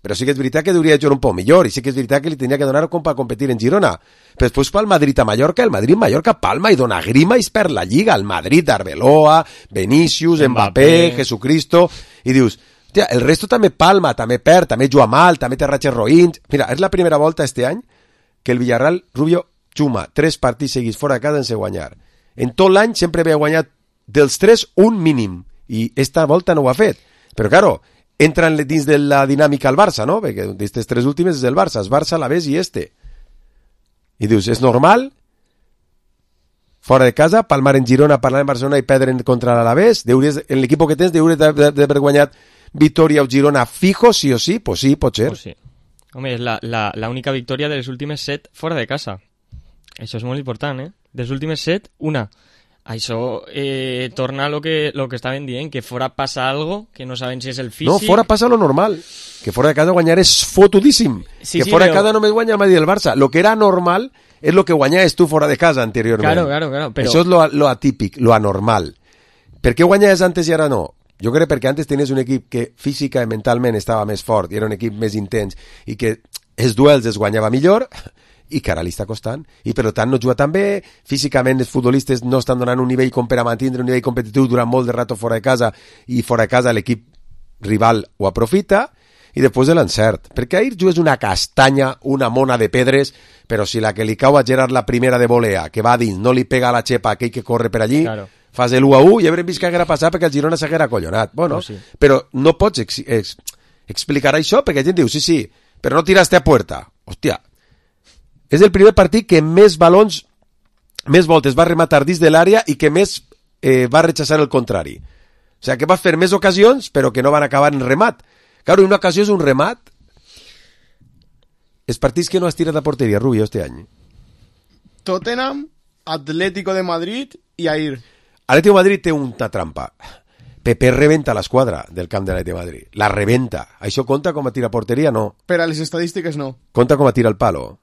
Però sí que és veritat que hauria de jugar un poc millor i sí que és veritat que li tenia que donar com per competir en Girona. Però després pel Madrid a Mallorca, el Madrid-Mallorca palma i dona grima i es perd la Lliga. El Madrid, Arbeloa, Vinícius, Mbappé, Jesucristo, i dius, hòstia, el resto també palma, també perd, també juga mal, també té ratxes roïns. Mira, és la primera volta este any que el Villarreal, Rubio, xuma 3 partits seguits fora de casa sense guanyar. En tot l'any sempre havia guanyat dels 3 un mínim, i esta volta no ho ha fet. Però, claro, entran dins de la dinàmica al Barça, no? Perquè d'aquestes 3 últimes és el Barça, el Barça, l'Alavés i este. I dius, és normal? Fora de casa, palmar en Girona, parlar en Barcelona i perdre contra l'Alavés? En l'equip que tens hauries d'haver guanyat Vitoria o Girona fijo, sí o sí? Pues sí, pot ser. Pues sí. Home, és la única victòria de les últimes 7 fora de casa. Això és molt important, eh? De les últimes 7, una. Això torna a lo que estaven dient, que fora passa algo, que no saben si és el físic... No, fora passa lo normal, que fora de casa guanyar és fotudíssim, sí, que sí, fora de casa només guanya el Madrid i el Barça. Lo que era normal és lo que guanyaves tu fora de casa anteriorment. Claro, però... Això és lo atípic, lo anormal. Per què guanyaves antes i ara no? Jo crec perquè antes tenies un equip que física i mentalment estava més fort i era un equip més intens i que els duels es guanyava millor... i que ara li està costant, i per tant no juga tan bé, físicament els futbolistes no estan donant un nivell com per a mantindre un nivell competitiu durant molt de rato fora de casa, i fora de casa l'equip rival ho aprofita, i després de l'encert, perquè ahir jugues una castanya, una mona de pedres, però si la que li cau a Gerard la primera de volea, que va dins, no li pega a la xepa aquell que corre per allí, claro. Fas el 1-1 i haurem vist que haguera passat perquè el Girona s'haguera acollonat. Bueno, sí. Però no pots explicar això, perquè la gent diu, sí, però no tiraste a puerta. Hòstia, és el primer partit que més balons, més voltes va rematar dins de l'àrea i que més va rechaçar el contrari. O sigui, que va fer més ocasions, però que no van acabar en remat. Claro, una ocasió és un remat. Els partits que no has tirat a porteria, Rubio, este any. Tottenham, Atlético de Madrid i Ahir. Atlético de Madrid té una trampa. Pepe rebenta l'esquadra del camp de l'Atlético de Madrid. La rebenta. Això compta com a tira a porteria? No. Per a les estadístiques no. Compta com a tira al palo.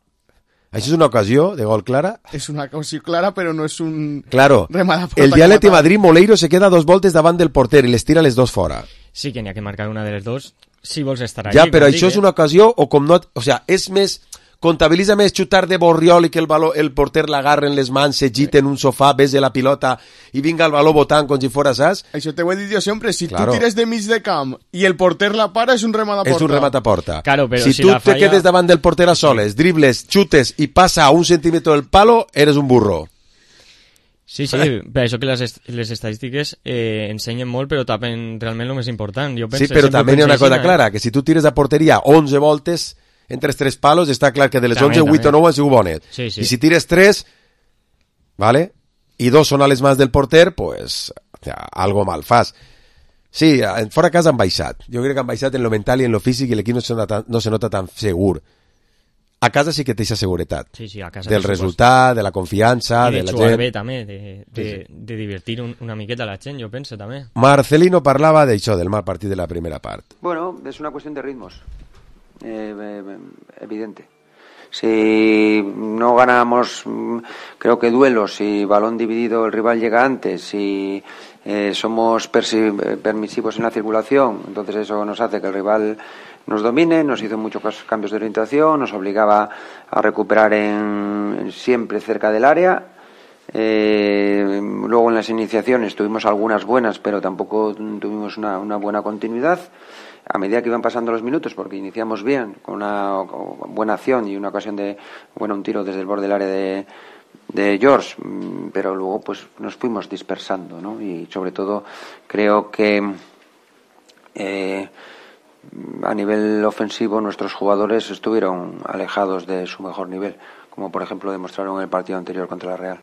Això és una ocasió de gol clara? És una ocasió clara, però no és un... Claro, el dia Atlético de Madrid, Moleiro se queda 2 voltes davant del porter i les tira les 2 fora. Sí que n'hi ha que marcar una de les 2 si vols estar allí. Ja, però això és una ocasió o com no... O sea, és més... Comptabilitza més xutar de Borriol i que el porter l'agarra en les mans, s'agita en un sofà, besa la pilota i vinga el baló botant com si fora saps? Això t'ho he dit jo sempre, si tu tires de mig de camp i el porter la para, és un remat a porta. És un remat a porta. Claro, però si tu te quedes davant del porter a soles, dribles, xutes i passa a 1 centímetre del palo, eres un burro. Sí, per això que les estadístiques ensenyen molt, però tapen realment el més important. Jo penso, sí, però també hi ha una cosa clara, que si tu tires a porteria 11 voltes... entre 3 palos, està clar que de les 11, 8 o 9 han sigut bones. Sí. I si tires 3, ¿vale? I 2 són a les mans del porter, pues, o sea, algo mal fas. Sí, fora casa han baixat. Jo crec que han baixat en lo mental i en lo físic i l'equip no se nota tan segur. A casa sí que té aquesta seguretat. Sí, a casa. Del resultat, de la confiança, de la gent. I de jugar bé també, de divertir una miqueta la gent, jo penso també. Marcelino parlava d'això, del mal partit de la primera part. Bueno, és una qüestió de ritmos. Evidente. Si no ganamos, creo que duelos, si balón dividido el rival llega antes, si somos permisivos en la circulación, entonces eso nos hace que el rival nos domine, nos hizo muchos cambios de orientación, nos obligaba a recuperar siempre cerca del área. Luego en las iniciaciones tuvimos algunas buenas, pero tampoco tuvimos una buena continuidad. A medida que iban pasando los minutos, porque iniciamos bien, con una buena acción y una ocasión de, un tiro desde el borde del área de George, pero luego pues nos fuimos dispersando, ¿no? Y sobre todo creo que a nivel ofensivo nuestros jugadores estuvieron alejados de su mejor nivel, como por ejemplo demostraron en el partido anterior contra la Real.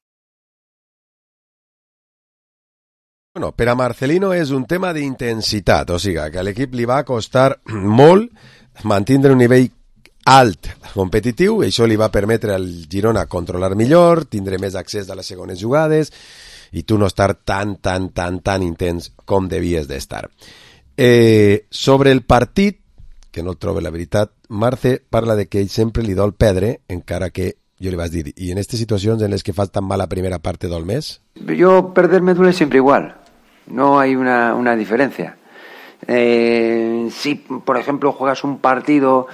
Bueno, per a Marcelino és un tema d'intensitat, o sigui, que a l'equip li va costar molt mantindre un nivell alt competitiu, i això li va permetre al Girona controlar millor, tindre més accés a les segones jugades i tu no estar tan intens com devies d'estar. Sobre el partit, que no el trobo la veritat, Marce parla de que ell sempre li dol perdre, encara que jo li vaig dir, i en aquestes situacions en les que fas tan mal la primera parte del mes? Yo perder me duele siempre igual, no hay una diferencia. Si, por ejemplo, juegas un partido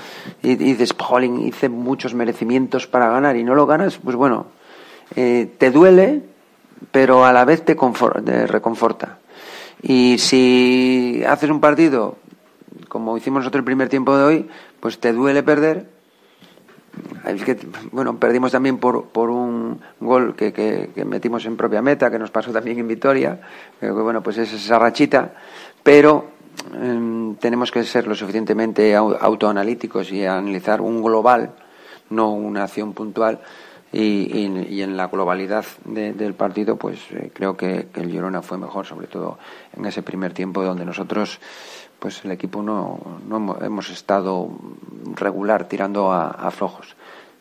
y dices, jolín, hice muchos merecimientos para ganar y no lo ganas, pues bueno, te duele, pero a la vez te reconforta. Y si haces un partido, como hicimos nosotros el primer tiempo de hoy, pues te duele perder. Es que, bueno, perdimos también por un gol que metimos en propia meta, que nos pasó también en Vitoria. Creo que, bueno, pues es esa rachita, pero tenemos que ser lo suficientemente autoanalíticos y analizar un global, no una acción puntual, y en la globalidad del partido, pues creo que el Girona fue mejor, sobre todo en ese primer tiempo donde nosotros, pues el equipo no hemos estado regular, tirando a flojos,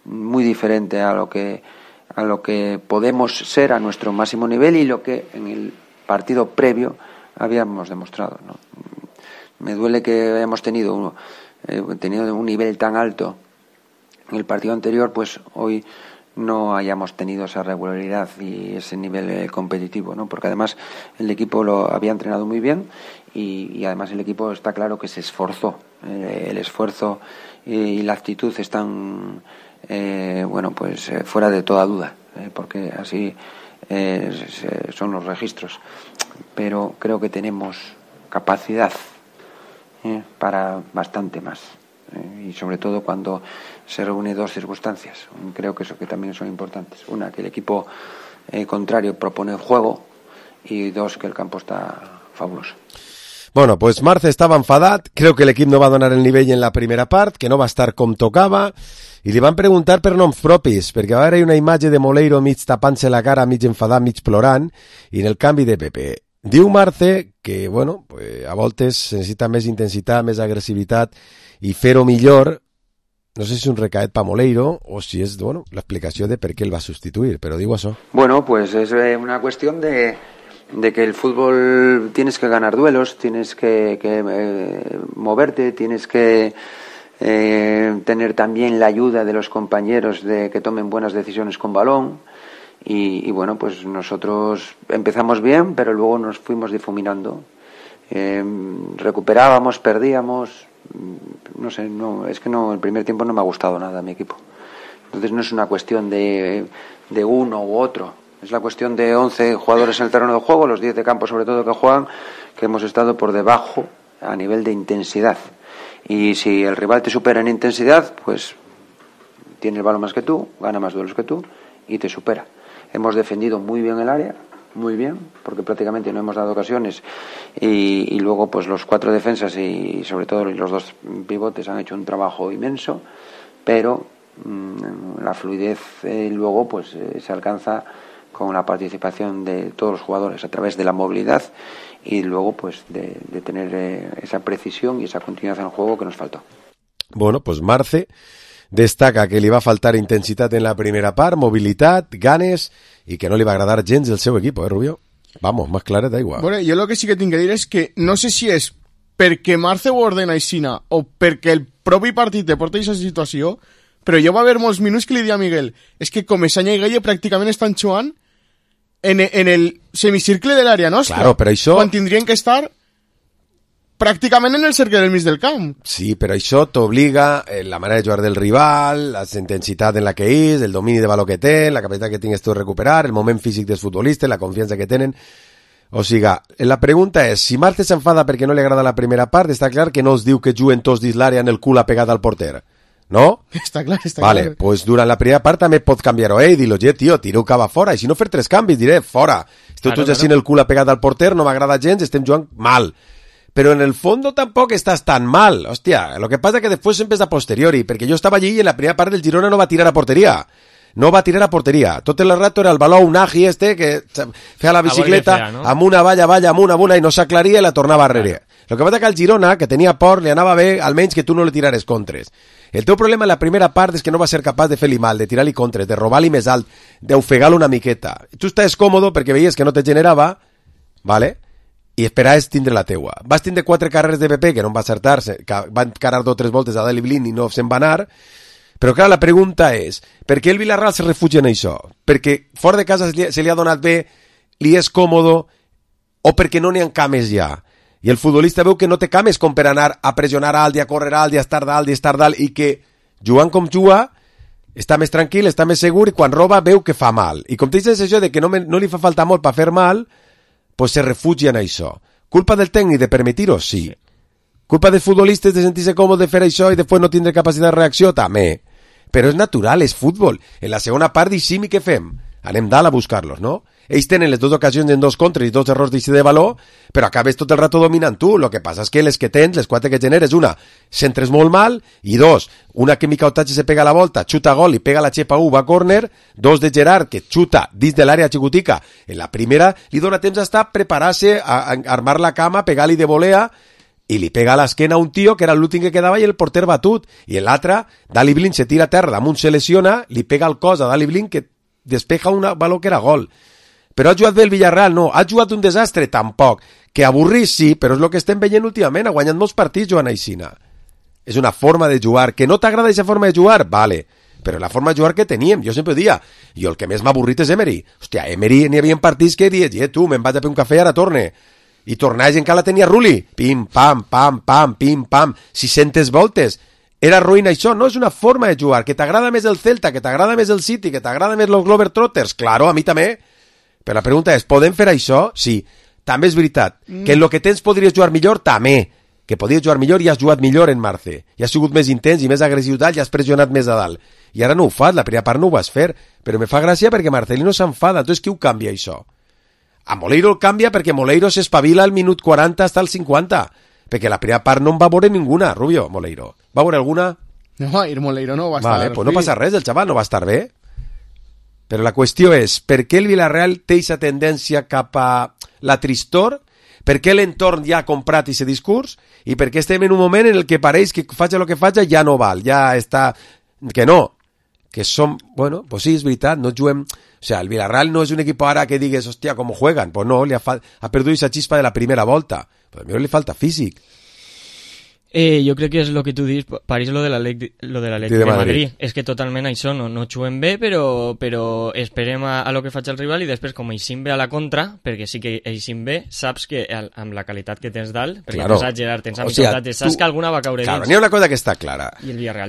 muy diferente a lo que podemos ser a nuestro máximo nivel y lo que en el partido previo habíamos demostrado, ¿no? Me duele que hayamos tenido un nivel tan alto en el partido anterior, pues hoy no hayamos tenido esa regularidad y ese nivel competitivo, ¿no? Porque además el equipo lo había entrenado muy bien y además el equipo está claro que se esforzó. El esfuerzo y la actitud están fuera de toda duda, porque así son los registros. Pero creo que tenemos capacidad para bastante más. Y sobre todo cuando se reúnen dos circunstancias. Creo que eso que también son importantes. Una, que el equipo contrario propone juego, y dos, que el campo está fabuloso. Bueno, pues Marce estava enfadat, creu que l'equip no va donar el nivell en la primera part, que no va estar com tocava, i li van preguntar per noms propis, perquè va haver una imatge de Moleiro mig tapant-se la cara, mig enfadat, mig plorant, i en el canvi de Pepe. Diu Marce que, bueno, pues, a voltes necessita més intensitat, més agressivitat, i fer-ho millor. No sé si és un recaet pa Moleiro o si és, bueno, l'explicació de per què el va substituir, però diu això. Bueno, pues es una cuestión de que el fútbol tienes que ganar duelos, tienes que moverte, tienes que tener también la ayuda de los compañeros de que tomen buenas decisiones con balón. Y bueno, pues nosotros empezamos bien, pero luego nos fuimos difuminando. Recuperábamos, perdíamos. No sé, es que el primer tiempo no me ha gustado nada a mi equipo. Entonces no es una cuestión de uno u otro. Es la cuestión de 11 jugadores en el terreno de juego, los 10 de campo sobre todo que juegan, que hemos estado por debajo a nivel de intensidad. Y si el rival te supera en intensidad, pues tiene el balón más que tú, gana más duelos que tú y te supera. Hemos defendido muy bien el área, muy bien, porque prácticamente no hemos dado ocasiones, y luego pues los 4 defensas y sobre todo los 2 pivotes han hecho un trabajo inmenso, pero la fluidez luego pues se alcanza con la participación de todos los jugadores a través de la movilidad y luego pues de tener esa precisión y esa continuidad en el juego que nos faltó. Bueno, pues Marce destaca que li va faltar intensitat en la primera part, mobilitat, ganes, i que no li va agradar gens el seu equip, Rubio? Vamos, más claret d'aigua. Bueno, jo el que sí que tinc que dir és que no sé si és perquè Marce ho ordena aixina o perquè el propi partit te porta a aquesta situació, però jo va haver molts minuts que li dia a Miguel, és que Comesaña i Gueye pràcticament estan jugant en el semicircle de l'àrea nostra, claro, però això... quan tindrien que estar pràcticament en el cercle del mig del camp. Sí, però això t'obliga la manera de jugar del rival, la intensitat en la que és, el domini de valor que té, la capacitat que tingues tu de recuperar, el moment físic dels futbolistes, la confiança que tenen. O sigui, la pregunta és, si Marce s'enfada perquè no li agrada la primera part, està clar que no es diu que juguen tots dins l'àrea en el cul apegat al porter, no? Està clar, està vale, clar. Pues durant la primera part també pot canviar-ho, dir-lo, tio, tiro cava fora, i si no fer 3 canvis, diré, fora. Esteu tots així en el cul apegat al porter, no m'agrada gens, estem jugant mal. pero en el fondo tampoc estàs tan mal. Hòstia, lo que passa que després sempre és a posteriori, perquè jo estava allí i en la primera part del Girona no va tirar a porteria. No va tirar a porteria. Tot el rato era el baló Unagi que feia la bicicleta amb una valla, amb una i no s'aclaria i la tornava a rere. Lo que passa que al Girona, que tenia por, li anava bé almenys que tu no li tirares contres. El teu problema en la primera part és que no va ser capaç de fer-li mal, de tirar-li contres, de robar-li més alt, d'ofegar-lo una miqueta. Tu estàs còmodo perquè veies que no te generava, ¿vale? I esperaves tindre la teua. Vas tindre 4 carreres de PP que no va acertar-se, que van encarar 2 o 3 voltes a Dali Blin i no se'n va anar. Però clar, la pregunta és, per què el Villarreal se refugia en això? Perquè fora de casa se li ha donat bé, li és còmodo, o perquè no n'hi ha cames ja? I el futbolista veu que no té cames com per anar a pressionar alt i a córrer alt i a estar dalt i que jugant com juga està més tranquil, està més segur i quan roba veu que fa mal. I com tens això de que no li fa falta molt per fer mal, pues se refugia en això. Culpa del tècnic de permetir-ho? Sí. Culpa dels futbolistes de sentir-se còmode de fer això i després no tindre capacitat de reacció? També. Però és natural, és futbol. En la segona part deixim i què fem? Anem dalt a buscar-los, no? Ells tenen les 2 ocasions en 2 contres i 2 errors d'eixir de valor, però acabes tot el rato dominant tu. Lo que passa és que les que tens, les 4 que generes, una, centres molt mal, i 2, una que Mica Otatge se pega a la volta, xuta gol i pega la xepa va a córner, 2 de Gerard, que xuta dins de l'àrea xicotica. En la primera li dona temps a estar preparar-se a armar la cama, pegar-li de volea, i li pega a l'esquena a un tio que era l'últim que quedava i el porter batut. I en l'altre, Dali Blin se tira a terra, damunt se lesiona, li pega al cos a Dali Blin que despeja un valor que era gol. Però ha jugat bé el Villarreal? No. Ha jugat un desastre? Tampoc. Que avorrit, sí, però és el que estem veient últimament. Ha guanyat molts partits jugant aixina. És una forma de jugar. Que no t'agrada aquesta forma de jugar? Vale. Però la forma de jugar que teníem, jo sempre dia, jo el que més m'ha avorrit és Emery. Hòstia, Emery n'hi havia partits que dies, tu, me'n vaig a fer un cafè i ara torne. I tornaves encara la tenia Rulli. Pim, pam, pam, pam, pim, pam. 600 voltes. Era ruïna això, no és una forma de jugar. Que t'agrada més el Celta, que t'agrada més el City, que t'agrada més los Globetrotters. Claro, a mi també. Però la pregunta és, podem fer això? Sí. També és veritat. Que en lo que tens podries jugar millor? També. Que podries jugar millor i has jugat millor en Marce. I has sigut més intens i més agressiu dalt i has pressionat més a dalt. I ara no ho fas, la primera part no ho vas fer. Però me fa gràcia perquè Marcelino s'enfada. Entonces qui ho canvia això? A Moleiro el canvia perquè Moleiro s'espavila al minut 40 hasta el 50. Perquè la primera part no en va veure ninguna, Rubio, Moleiro. Va veure alguna? No, el Moleiro no va estar bé. Vale, pues no passa res, el xaval no va estar bé. Però la qüestió és, per què el Villarreal té aquesta tendència cap a la tristor? Per què l'entorn ja ha comprat aquest discurs? I per què estem en un moment en el que pareix que faci el que faci ja no val, ja està... Que no, que som... Bueno, pues sí, és veritat, no juguem... O sea, el Villarreal no és un equip ara que digues, hòstia, com juegan. Pues no, ha perdut aquesta xispa de la primera volta. Pues a mi li falta físic. Jo crec que és el que tu dius, pareix lo de l'Atlètic de Madrid. És que totalment això no juguem bé, però esperem a lo que faig el rival i després com eixim bé a la contra, perquè sí que eixim bé, saps que amb la qualitat que tens dalt, perquè tens a Gerard, tens a Miquel, saps que alguna va caure dins. Claro, n'hi ha una cosa que està clara,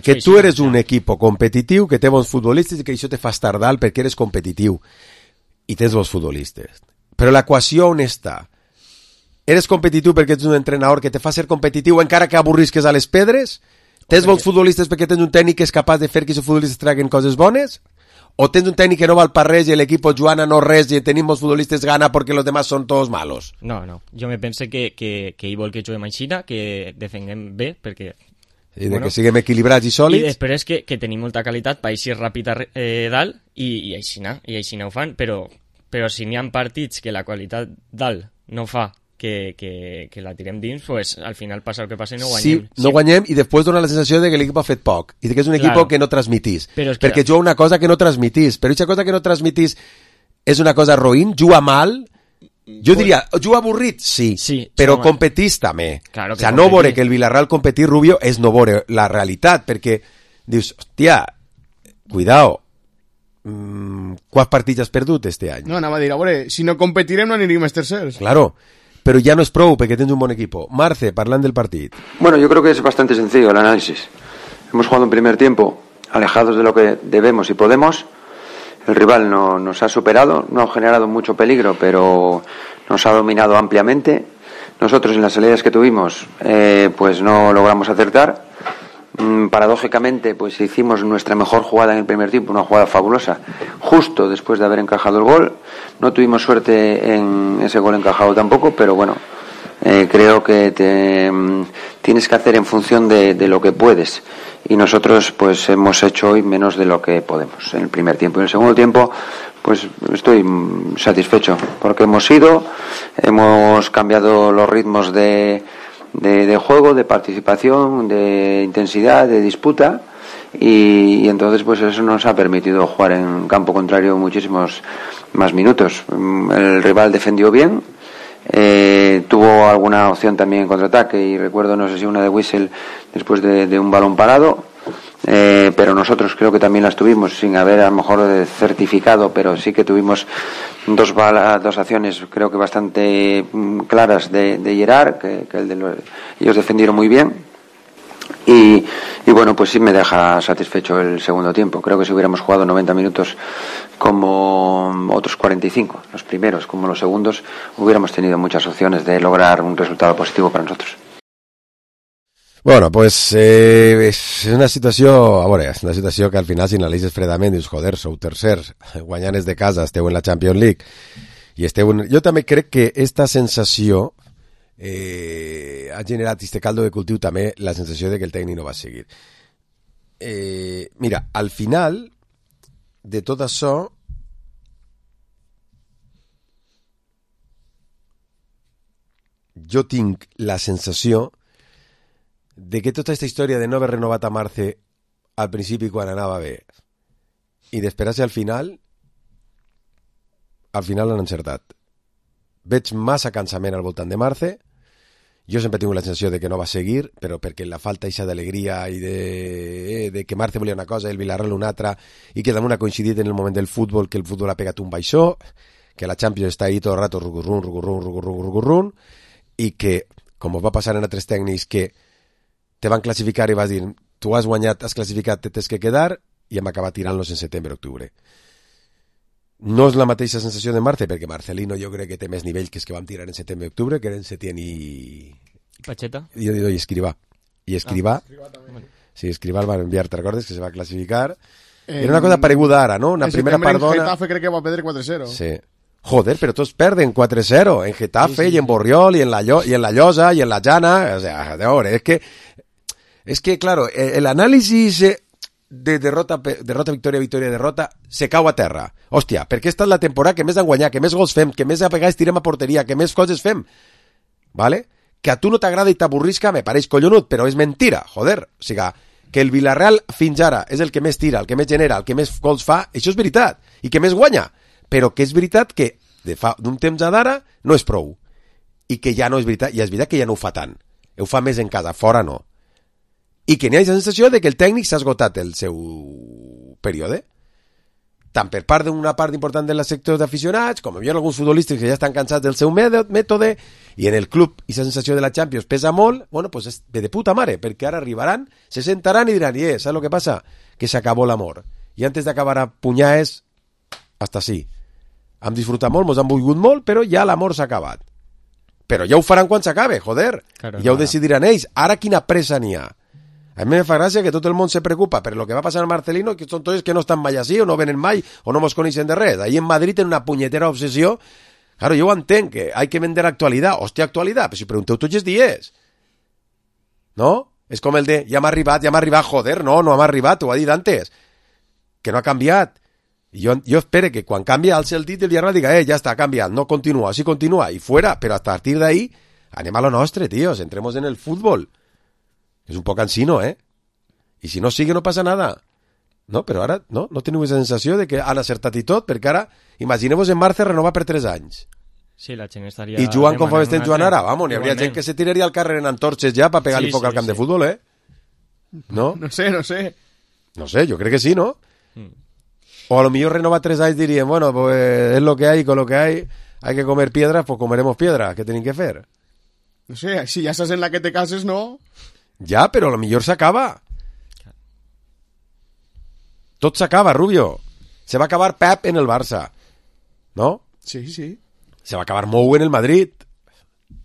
que tu eres un equip competitiu, que té bons futbolistes i que això te fa estar dalt perquè eres competitiu i tens bons futbolistes. Però l'equació on està? Eres competitiu perquè ets un entrenador que te fa ser competitiu encara que avorrisques a les pedres? Tens bons futbolistes perquè tens un tècnic que és capaç de fer que els futbolistes traguen coses bones? O tens un tècnic que no val per res i l'equip Joana no res i tenim bons futbolistes gana perquè los demás són tots malos? No. Jo me pense que ell vol que juguem aixina, que defenguem bé, perquè... I que siguem equilibrats i sòlids. I després que tenim molta qualitat per eixir ràpid dalt i aixina ho fan, però si n'hi ha partits que la qualitat dalt no fa que la tirem dins, pues al final passa el que passa i no guanyem. Sí, no guanyem i després dona la sensació de que l'equip ha fet poc i que és un equip que no transmitís. Perquè juga una cosa que no transmitís. Però aquesta cosa que no transmitís és una cosa roïn, juga mal. Jo diria, juga avorrit, sí però competís també. Claro, o sea, no veure que el Villarreal competir, Rubio, és no veure la realitat, perquè dius, hòstia, cuidao, quants partits has perdut este any? No, anava a dir, a veure, si no competirem no aniríem els tercers. Claro, pero ya no es pro porque tienes un buen equipo. Marce, parlant del partido. Bueno, yo creo que es bastante sencillo el análisis. Hemos jugado un primer tiempo alejados de lo que debemos y podemos. El rival nos ha superado, no ha generado mucho peligro, pero nos ha dominado ampliamente. Nosotros en las salidas que tuvimos pues no logramos acertar. Paradójicamente pues hicimos nuestra mejor jugada en el primer tiempo, una jugada fabulosa, justo después de haber encajado el gol. No tuvimos suerte en ese gol encajado tampoco, pero bueno, Creo que tienes que hacer en función de lo que puedes, y nosotros pues hemos hecho hoy menos de lo que podemos en el primer tiempo. Y en el segundo tiempo pues estoy satisfecho porque hemos cambiado los ritmos de juego, de participación, de intensidad, de disputa, y entonces pues eso nos ha permitido jugar en campo contrario muchísimos más minutos. El rival defendió bien, tuvo alguna opción también en contraataque, y recuerdo, no sé si una de Wissel después de un balón parado, pero nosotros creo que también las tuvimos sin haber a lo mejor certificado, pero sí que tuvimos dos acciones creo que bastante claras de Gerard, que ellos defendieron muy bien. Y bueno, pues sí me deja satisfecho el segundo tiempo. Creo que si hubiéramos jugado 90 minutos como otros 45, los primeros como los segundos, hubiéramos tenido muchas opciones de lograr un resultado positivo para nosotros. Bueno, pues és una situació, a veure, és una situació que al final, si analitzes fredament, dius, joder, sou tercers, guanyanes de casa, esteu en la Champions League, i esteu en... Jo també crec que esta sensació ha generat este caldo de cultiu també la sensació de que el tècnic no va seguir. Mira, al final de tot això, jo tinc la sensació de que tota aquesta història de no haver renovat a Marce al principi quan anava bé i d'esperar-se al final l'han encertat. Veig massa cansament al voltant de Marce. Jo sempre tinc la sensació de que no va seguir, però perquè la falta eixa d'alegria i de que Marce volia una cosa i el Villarreal una altra, i que damunt ha coincidit en el moment del futbol, que el futbol ha pegat un baixó, que la Champions està ahí tot el rato rucurrun, i que, com va passar en altres tècnics, que te van classificar i vas dir, tu has guanyat, has classificat, te tens que quedar, i hem acabat tirant-los en setembre-octubre. No és la mateixa sensació de Marce, perquè Marcelino jo crec que té més nivell que els que vam tirar en setembre-octubre, que eren Setién i... Pacheta? I Escrivà. I Escrivà... Sí, Escrivà el van enviar, ¿te recordes? Que se va classificar. Era una cosa pareguda ara, no? Una primera part dona... En Getafe crec que va perdre 4-0. Sí. Joder, pero todos perden 4-0 en Getafe, sí. Y en Borriol y en la Llosa y en la Llana. O sea, de ahora, es que claro, el análisis de derrota, victòria, derrota, se cau a terra. Hòstia, perquè esta és la temporada que més han guanyat, que més gols fem, que més apegats tirem a porteria, que més coses fem. ¿Vale? Que a tu no t'agrada i t'avorrisca, me pareix collonut, però és mentira, joder. O sigui, que el Villarreal fins ara és el que més tira, el que més genera, el que més gols fa, això és veritat, i que més guanya. Però que és veritat que d'un temps a d'ara no és prou. I que ja no és veritat, i és veritat que ja no ho fa tant. Ho fa més en casa, fora no. I que n'hi ha la sensació de que el tècnic s'ha esgotat el seu període, tant per part d'una part important de la sector d'aficionats, com hi ha alguns futbolistes que ja estan cansats del seu mètode, i en el club i la sensació de la Champions pesa molt. Bueno, pues és de puta mare, perquè ara arribaran, se sentaran i diran, ¿sabes lo que pasa? Que se acabó l'amor. I antes d'acabar a punyades, hasta sí. Hem disfrutat molt, mos han volgut molt, però ja l'amor s'ha acabat. Però ja ho faran quan s'acabe, joder. Claro, ja ho decidiran ells. Ara quina pressa n'hi ha? A mi me fa gràcia que tot el món se preocupa per lo que va passar a Marcelino, que són tots que no estan mai així, o no venen mai, o no mos coneixen de res. Ahí en Madrid tenen una punyetera obsessió. Claro, jo ho entenc, que hay que vender actualitat. Hòstia, actualitat, però si pregunteu tots els dies. No? És com el de, ja m'ha arribat, joder, no m'ha arribat, ho ha dit antes. Que no ha canviat. I jo espero que quan canvia alce el dit del Villarreal diga, ja està, ha canviat, no continua, sí continua, i fuera, però a partir d'ahí anem a lo nostre, tíos, entremos en el fútbol. És un poc ansino, I si no sigue no passa nada. No, però ara no teniu la sensació de que han acertat i tot, perquè ara, imagineu-vos en Marce renovar per 3 anys. Sí, la gent estaria... I jugant com estem jugant ara, vamos, n'hi hauria gent que se tiraria al carrer en antorxes ja per pegar-li foc al camp de futbol, No? No sé. No sé, jo crec que sí, ¿no? O a lo mejor renova 3 anys diríem, bueno, pues es lo que hay, con lo que hay que comer piedras, pues comeremos piedras, ¿qué tenim que fer? No sé, si ja estàs en la que te cases, no... Ja, però a lo millor s'acaba. Tot s'acaba, Rubio. Se va acabar Pep en el Barça. ¿No? Sí. Se va acabar Mou en el Madrid.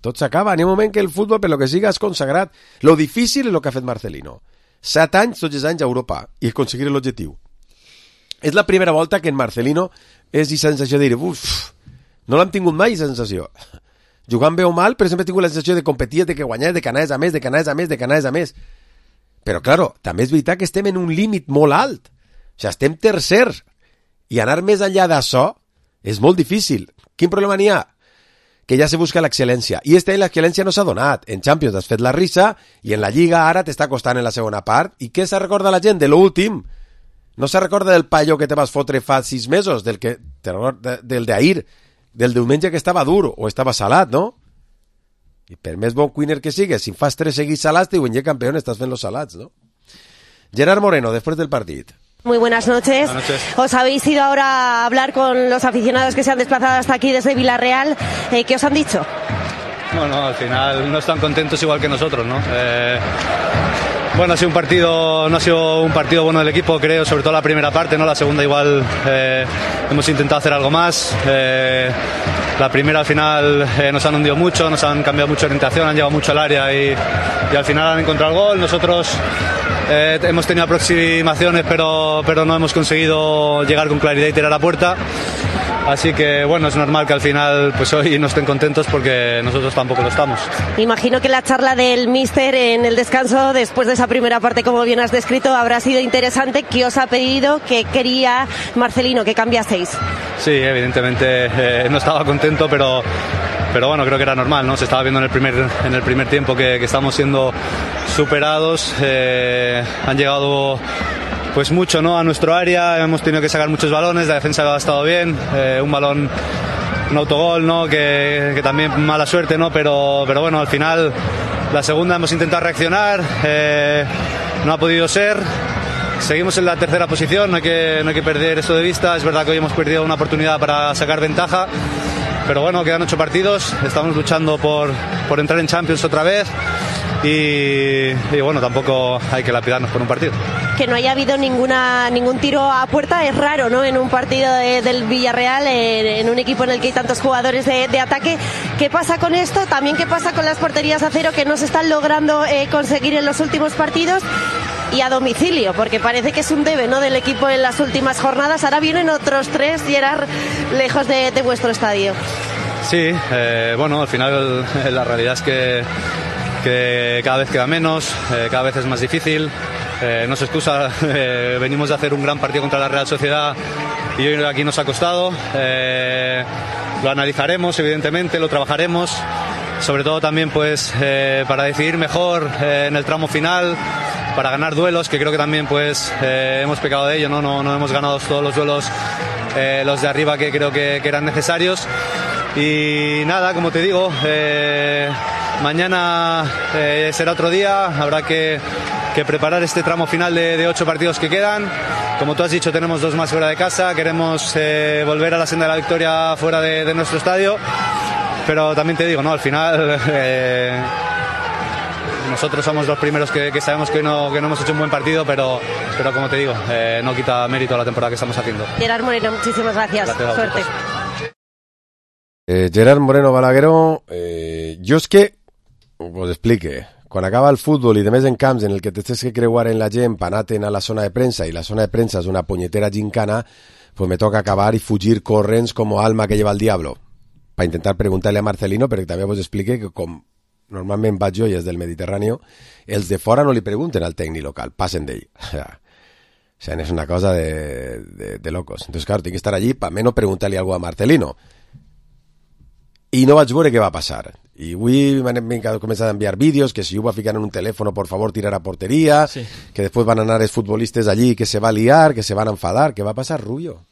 Tot s'acaba. N'hi ha un moment que el futbol, per lo que siga, és consagrat. Lo difícil és lo que ha fet Marcelino. 7 anys, tots els anys a Europa, i aconseguir l'objectiu. És la primera volta que en Marcelino és aquesta sensació de dir, no l'hem tingut mai, aquesta sensació. jugant bé o mal, però sempre he tingut la sensació de competir, de que guanyaves, de que anaves a més. Però, claro, també és veritat que estem en un límit molt alt. O sigui, estem tercers. I anar més enllà d'això és molt difícil. Quin problema n'hi ha? Que ja se busca l'excel·lència. I este any l'excel·lència no s'ha donat. En Champions has fet la risa i en la Lliga ara t'està costant en la segona part. I què se recorda la gent? De l'últim. No se recorda del paio que te vas fotre fa 6 mesos, del d'ahir, del diumenge que estava dur o estava salat, no? I per més bon cuiner que sigues, si fas 3 seguits salats, te diuen, campeón, estàs fent los salats, no? Gerard Moreno, después del partido. Muy buenas noches. Buenas noches. Os habéis ido ahora a hablar con los aficionados que se han desplazado hasta aquí desde Villarreal. ¿Qué os han dicho? Bueno, al final no están contentos igual que nosotros, ¿no? Bueno, no ha sido un partido bueno del equipo, creo, sobre todo la primera parte, ¿no? La segunda igual hemos intentado hacer algo más. La primera al final nos han hundido mucho, nos han cambiado mucho de orientación, han llegado mucho al área y al final han encontrado el gol. Nosotros hemos tenido aproximaciones, pero no hemos conseguido llegar con claridad y tirar a puerta. Así que bueno, es normal que al final pues hoy no estén contentos porque nosotros tampoco lo estamos. Imagino que la charla del míster en el descanso después de esa primera parte, como bien has descrito, habrá sido interesante. ¿Qué os ha pedido? ¿Qué quería Marcelino que cambiaseis? Sí, evidentemente no estaba contento, pero bueno, creo que era normal, ¿no? Se estaba viendo en el primer tiempo que estamos siendo superados. Han llegado pues mucho, ¿no? A nuestro área, hemos tenido que sacar muchos balones, la defensa ha estado bien, un balón, un autogol, ¿no? Que también mala suerte, ¿no? Pero bueno, al final la segunda hemos intentado reaccionar, no ha podido ser. Seguimos en la tercera posición, no hay que perder esto de vista. Es verdad que hoy hemos perdido una oportunidad para sacar ventaja, pero bueno, quedan 8 partidos, estamos luchando por entrar en Champions otra vez y bueno, tampoco hay que lapidarnos por un partido. Que no haya habido ningún tiro a puerta es raro, ¿no? En un partido del Villarreal, en un equipo en el que hay tantos jugadores de ataque. ¿Qué pasa con esto? También qué pasa con las porterías a cero que no se están logrando conseguir en los últimos partidos y a domicilio, porque parece que es un debe, ¿no? Del equipo en las últimas jornadas. Ahora vienen otros 3, Gerard, lejos de vuestro estadio. Sí, bueno, al final la realidad es que cada vez queda menos, cada vez es más difícil. No se excusa, venimos de hacer un gran partido contra la Real Sociedad y hoy aquí nos ha costado. Lo analizaremos, evidentemente, lo trabajaremos, sobre todo también pues para decidir mejor en el tramo final, para ganar duelos, que creo que también pues hemos pecado de ello, no hemos ganado todos los duelos, los de arriba que creo que eran necesarios. Y nada, como te digo, mañana será otro día, habrá que preparar este tramo final de 8 partidos que quedan. Como tú has dicho, tenemos 2 más fuera de casa, queremos volver a la senda de la victoria fuera de nuestro estadio, pero también te digo, ¿no? Al final nosotros somos los primeros que sabemos que no hemos hecho un buen partido, pero como te digo, no quita mérito a la temporada que estamos haciendo. Gerard Moreno, muchísimas gracias. Suerte. Gerard Moreno Balagueró, jo és que us explique, quan acaba el futbol i de més en camps en el que tens que creuar en la gent per anar a la zona de premsa i la zona de premsa és una punyetera gincana, pues me toca acabar i fugir corrents com alma que lleva el diablo per intentar preguntar-li a Marcelino, perquè també us explique que com normalment vaig jo i és del Mediterrani, els de fora no li pregunten al tècnic local, passen d'ell. O sea, és una cosa de locos. Entonces, claro, tinc que estar allí per almenys preguntar-li alguna cosa a Marcelino. I no vaig veure què va passar. I avui m'han començat a enviar vídeos que si ho va ficar en un telèfon, por favor, tirar a porteria, sí. Que després van anar els futbolistes allí, que se va liar, que se van enfadar. Què va passar, Rubio?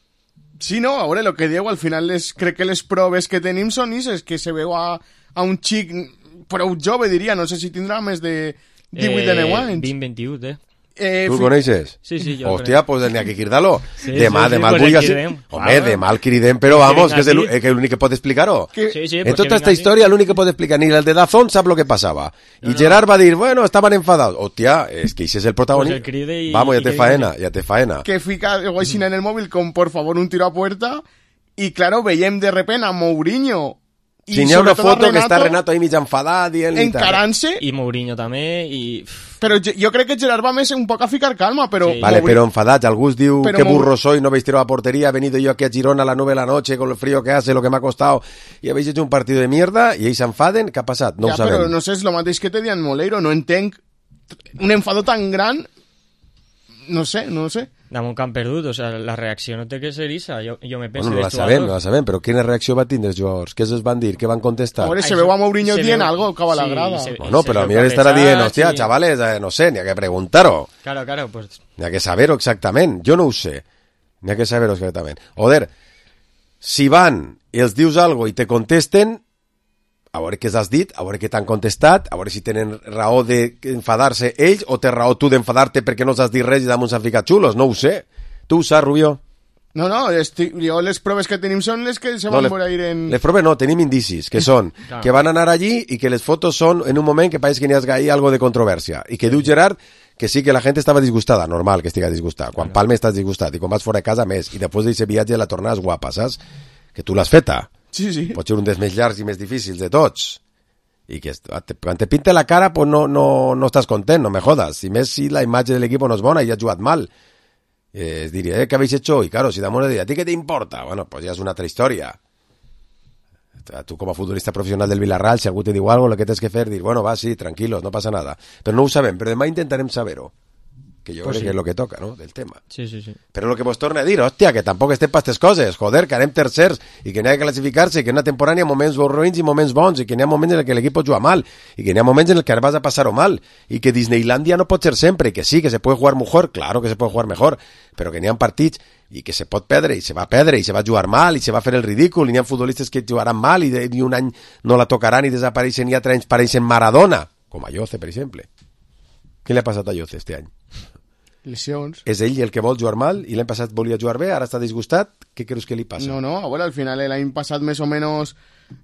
Sí, no, a veure, lo que diu, al final crec que les proves que tenim són és que se veu a un xic prou jove, diria, no sé si tindrà més de 18 anys. 20-21, Tu el coneixes? Sí, jo Hòstia, pues n'hi ha que cridar-lo. Sí, demà el vull així. Home, demà el cridem, però vamos, que és l'únic que pot explicar-ho. En tota esta història l'únic que pot explicar, ni el de Dazón sap lo que passava. I Gerard va dir, bueno, estaven enfadados. Hòstia, és que ese és el protagonista. Vamos, ya te faena. Que fica així en el mòbil com, por favor, un tiro a puerta, i claro, veiem de repente a Mourinho Si n'hi ha una foto que està Renato ahí mig enfadat dient-li... Encarant-se... I Mourinho també, i... Però jo crec que Gerard va més un poc a ficar calma, però... Sí. Vale, però enfadat, algú es diu que burro soy, no habéis tirado a portería, he venido yo aquí a Girona a las 9 de la noche con el frío que hace, lo que me ha costado, y habéis hecho un partido de mierda, i ells s'enfaden, què ha passat? No ho sabem. Però no sé, és el mateix que te dian Moleiro, no entenc un enfado tan gran, no sé. Damunt camp perdut, o sea, la reacció no té que ser issa, jo me penso... Bueno, no la sabem, però quina reacció va tindre els jugadors? Què es van dir? Què van contestar? A veure, se veu a Mourinho dient algo, cava la grada. No, però a mi estarà dient, hòstia, chavales, no sé, n'hi ha que preguntar-ho. Claro, pues... N'hi ha que saber-ho exactament, jo no ho sé. N'hi ha que saber-ho exactament. Joder, si van i els dius algo i te contesten, a veure què has dit, a veure què t'han contestat, a veure si tenen raó d'enfadar-se ells o té raó tu d'enfadar-te perquè no s'has dit res i damunt s'han ficat xulos, no ho sé. Tu ho saps, Rubio? No, jo les proves que tenim són les que se van veure ir en... Les proves no, tenim indicis, que són que van anar allí i que les fotos són en un moment que pareix que n'hi ha algo de controvèrsia. I que diu Gerard que sí que la gent estava disgustada, normal que estiga disgustada. Quan palmes estàs disgustat i quan vas fora de casa més. I després d'aquest viatge la tornada és guapa, saps? Que tu l'has feta. Sí. Pot ser un dels més llargs i més difícils de tots. I que quan te pinta la cara pues no estàs content, no me jodas. I més si la imatge de l'equip no és bona i ha jugat mal. Es diria, ¿qué habéis hecho? Y claro, si damos de ¿a ti qué te importa? Bueno, pues ya es una otra historia. Tu com a futbolista professional del Villarreal, si algú te diu algo, lo que tens que fer, dir, bueno, va, sí, tranquilos, no passa nada. Però no ho sabem, però demà intentarem saber-ho. Que jo crec que és el que toca, no?, del tema. Sí. Però el que vos torna a dir, hòstia, que tampoc estem per aquestes coses, joder, que anem tercers i que n'hi ha que classificar-se, i que en una temporada n'hi ha moments ruïns i moments bons, i que n'hi ha moments en què l'equip pot jugar mal, i que n'hi ha moments en què vas a passar-ho mal, i que Disneylandia no pot ser sempre, i que sí, que se puede jugar mejor, claro que se puede jugar mejor, però que n'hi ha partits i que se pot perdre, i se va perdre, i se va jugar mal, i se va fer el ridícul, i n'hi ha futbolistes que jugaran mal, i un any no la tocaran i desapareixen, i altre any pareixen Maradona, com a Lloce, per exemple. Què li ha passat a Lloce este any? Lesions. És ell el que vol jugar mal i l'any passat volia jugar bé, ara està disgustat. Què creus que li passa? No, bueno, al final l'any passat més o menys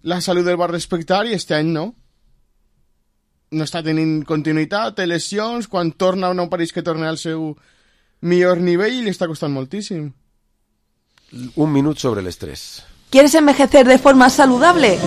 la salut el va respectar i este any no. No està tenint continuïtat, té lesions, quan torna no pareix que torna al seu millor nivell i li està costant moltíssim. Un minut sobre l'estrès. ¿Quieres envejecer de forma saludable?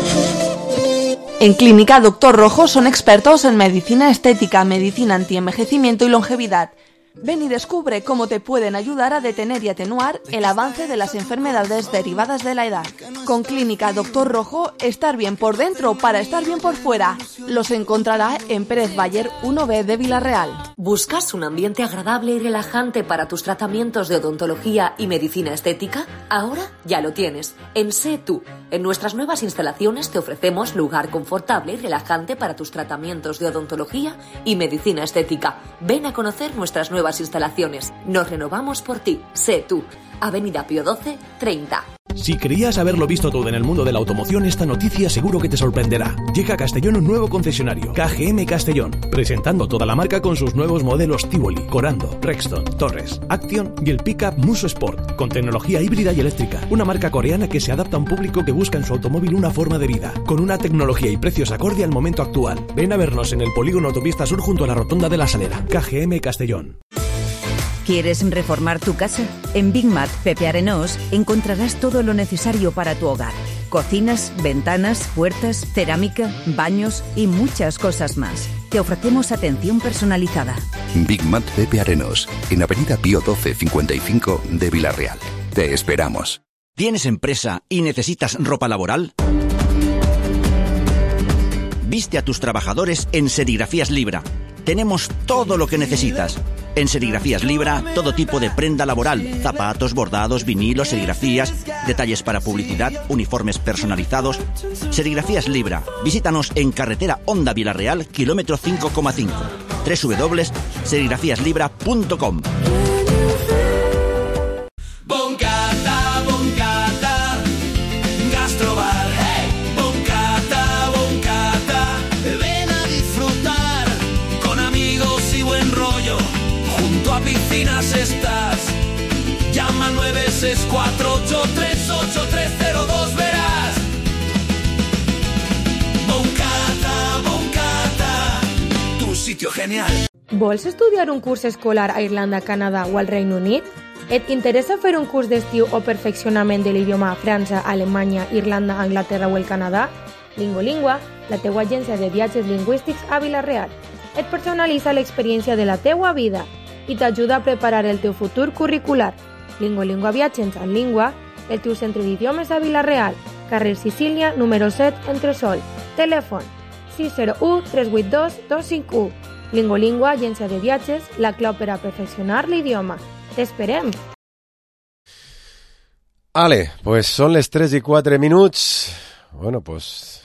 En Clínica Doctor Rojo son expertos en medicina estética, medicina antienvejecimiento y longevidad. Ven y descubre cómo te pueden ayudar a detener y atenuar el avance de las enfermedades derivadas de la edad. Con Clínica Doctor Rojo, estar bien por dentro para estar bien por fuera. Los encontrará en Pérez Bayer 1B de Villarreal. ¿Buscas un ambiente agradable y relajante para tus tratamientos de odontología y medicina estética? Ahora ya lo tienes. En Sé Tú. En nuestras nuevas instalaciones te ofrecemos lugar confortable y relajante para tus tratamientos de odontología y medicina estética. Ven a conocer nuestras nuevas instalaciones. Nos renovamos por ti. Sé Tú. Avenida Pío XII, 30. Si creías haberlo visto todo en el mundo de la automoción, esta noticia seguro que te sorprenderá. Llega a Castellón un nuevo concesionario, KGM Castellón, presentando toda la marca con sus nuevos modelos Tivoli, Corando, Rexton, Torres, Action y el pickup Muso Sport, con tecnología híbrida y eléctrica. Una marca coreana que se adapta a un público que busca en su automóvil una forma de vida, con una tecnología y precios acorde al momento actual. Ven a vernos en el polígono Autopista Sur junto a la Rotonda de la Salera. KGM Castellón. ¿Quieres reformar tu casa? En Big Mat Pepe Arenós encontrarás todo lo necesario para tu hogar. Cocinas, ventanas, puertas, cerámica, baños y muchas cosas más. Te ofrecemos atención personalizada. Big Mat Pepe Arenós, en Avenida Pío XII 55 de Villarreal. Te esperamos. ¿Tienes empresa y necesitas ropa laboral? Viste a tus trabajadores en Serigrafías Libra. Tenemos todo lo que necesitas. En Serigrafías Libra, todo tipo de prenda laboral, zapatos, bordados, vinilos, serigrafías, detalles para publicidad, uniformes personalizados. Serigrafías Libra. Visítanos en carretera Honda Villarreal, kilómetro 5,5. www.serigrafíaslibra.com. Boncata, Boncata, Gastrobar. Hey, Boncata, Boncata, ven a disfrutar con amigos y buen rollo. Junto a piscinas estás. Llama al 964838302, verás. Boncata, Boncata, tu sitio genial. Vols estudiar un curs escolar a Irlanda, Canadà o al Regne Unit? Et interessa fer un curs d'estiu o perfeccionament de l'idioma a França, Alemanya, Irlanda, Anglaterra o el Canadà? Lingolingua, la teua agència de viatges lingüístics a Vila-real. Et personalitza l'experiència de la teua vida i t'ajuda a preparar el teu futur curricular. Lingolingua Viatges en Língua, el teu centre d'idiomes a Vila-real, carrer Sicília, número 7, Entresol. Telèfon 601-382-251. Lingolingua, agència de viatges, la clau per a perfeccionar l'idioma. T'esperem! Ale, pues son les 3:04. Bueno, pues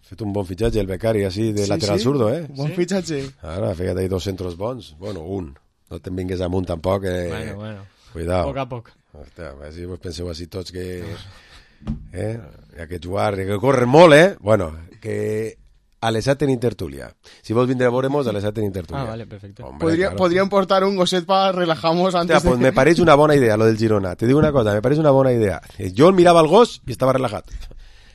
fet un bon fitxatge el becari així de lateral zurdo, eh? Bon fitxatge. Ara, fíjate, hay 2 centros bons. Bueno, un. No te'n vingues amunt tampoc. Bueno. Cuidado. Poc a poc. Hòstia, a veure si vos penseu així tots que... Hi ha que jugar, que corren molt, eh? Bueno, que a les 7 tenim tertúlia. Si vols vindre a veure-mos, a les 7 tenim tertúlia. Ah, vale, perfecto. Hombre, Podríem portar un gosset para relajarnos antes. Hòstia, pues me pareix una bona idea lo del Girona. Te digo una cosa, me pareix una bona idea. Jo mirava el gos i estava relajat.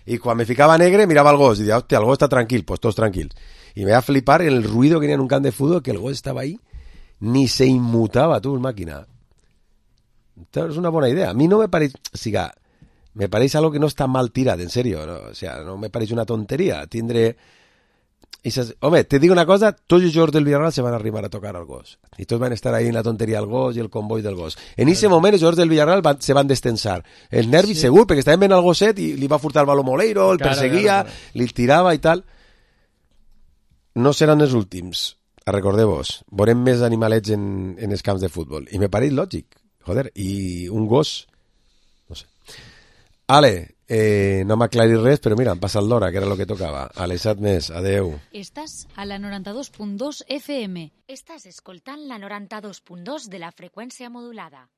I quan me ficava negre, mirava el gos i deia, hòstia, el gos està tranquil, pues tots tranquils. I me va a flipar el ruido que tenía en un camp de fútbol, que el gos estava ahí, ni se inmutava, tu, el màquina. És una bona idea. A mi no me pareix... Siga, me pareix algo que no està mal tirat, en serio. No? O sea, no me pareix una tonteria. Tindre... Home, te digo una cosa, tots els jugadors del Villarreal se van arribar a tocar al gos. I tots van estar ahí en la tonteria del gos i el comboi del gos. En ese moment els jugadors del Villarreal se van destensar. El nervi segur, perquè estaven veient el gosset i li va furtar el baló Moleiro, el perseguia, li tirava i tal. No seran els últims. Recordeu-vos, veurem més animalets en els camps de futbol. I me pareix lògic. Joder, i un gos... No sé. Ale, no m'aclaris res, però mira, em passa el d'hora, que era el que tocava. A les 7 més, adeu. Estàs a la 92.2 FM. Estàs escoltant la 92.2 de la frecuencia modulada.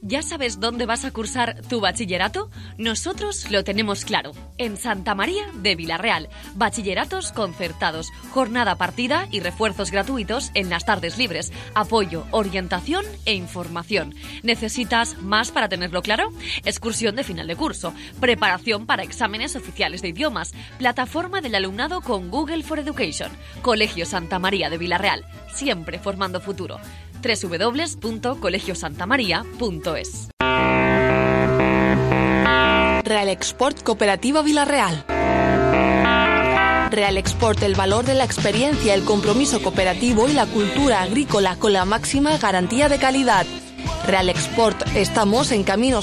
¿Ya sabes dónde vas a cursar tu bachillerato? Nosotros lo tenemos claro. En Santa María de Vila-real. Bachilleratos concertados, jornada partida y refuerzos gratuitos en las tardes libres. Apoyo, orientación e información. ¿Necesitas más para tenerlo claro? Excursión de final de curso. Preparación para exámenes oficiales de idiomas. Plataforma del alumnado con Google for Education. Colegio Santa María de Vila-real. Siempre formando futuro. www.colegiosantamaria.es. Real Export Cooperativa Vila-real. Real Export, el valor de la experiencia, el compromiso cooperativo y la cultura agrícola con la máxima garantía de calidad. Real Export, estamos en Camino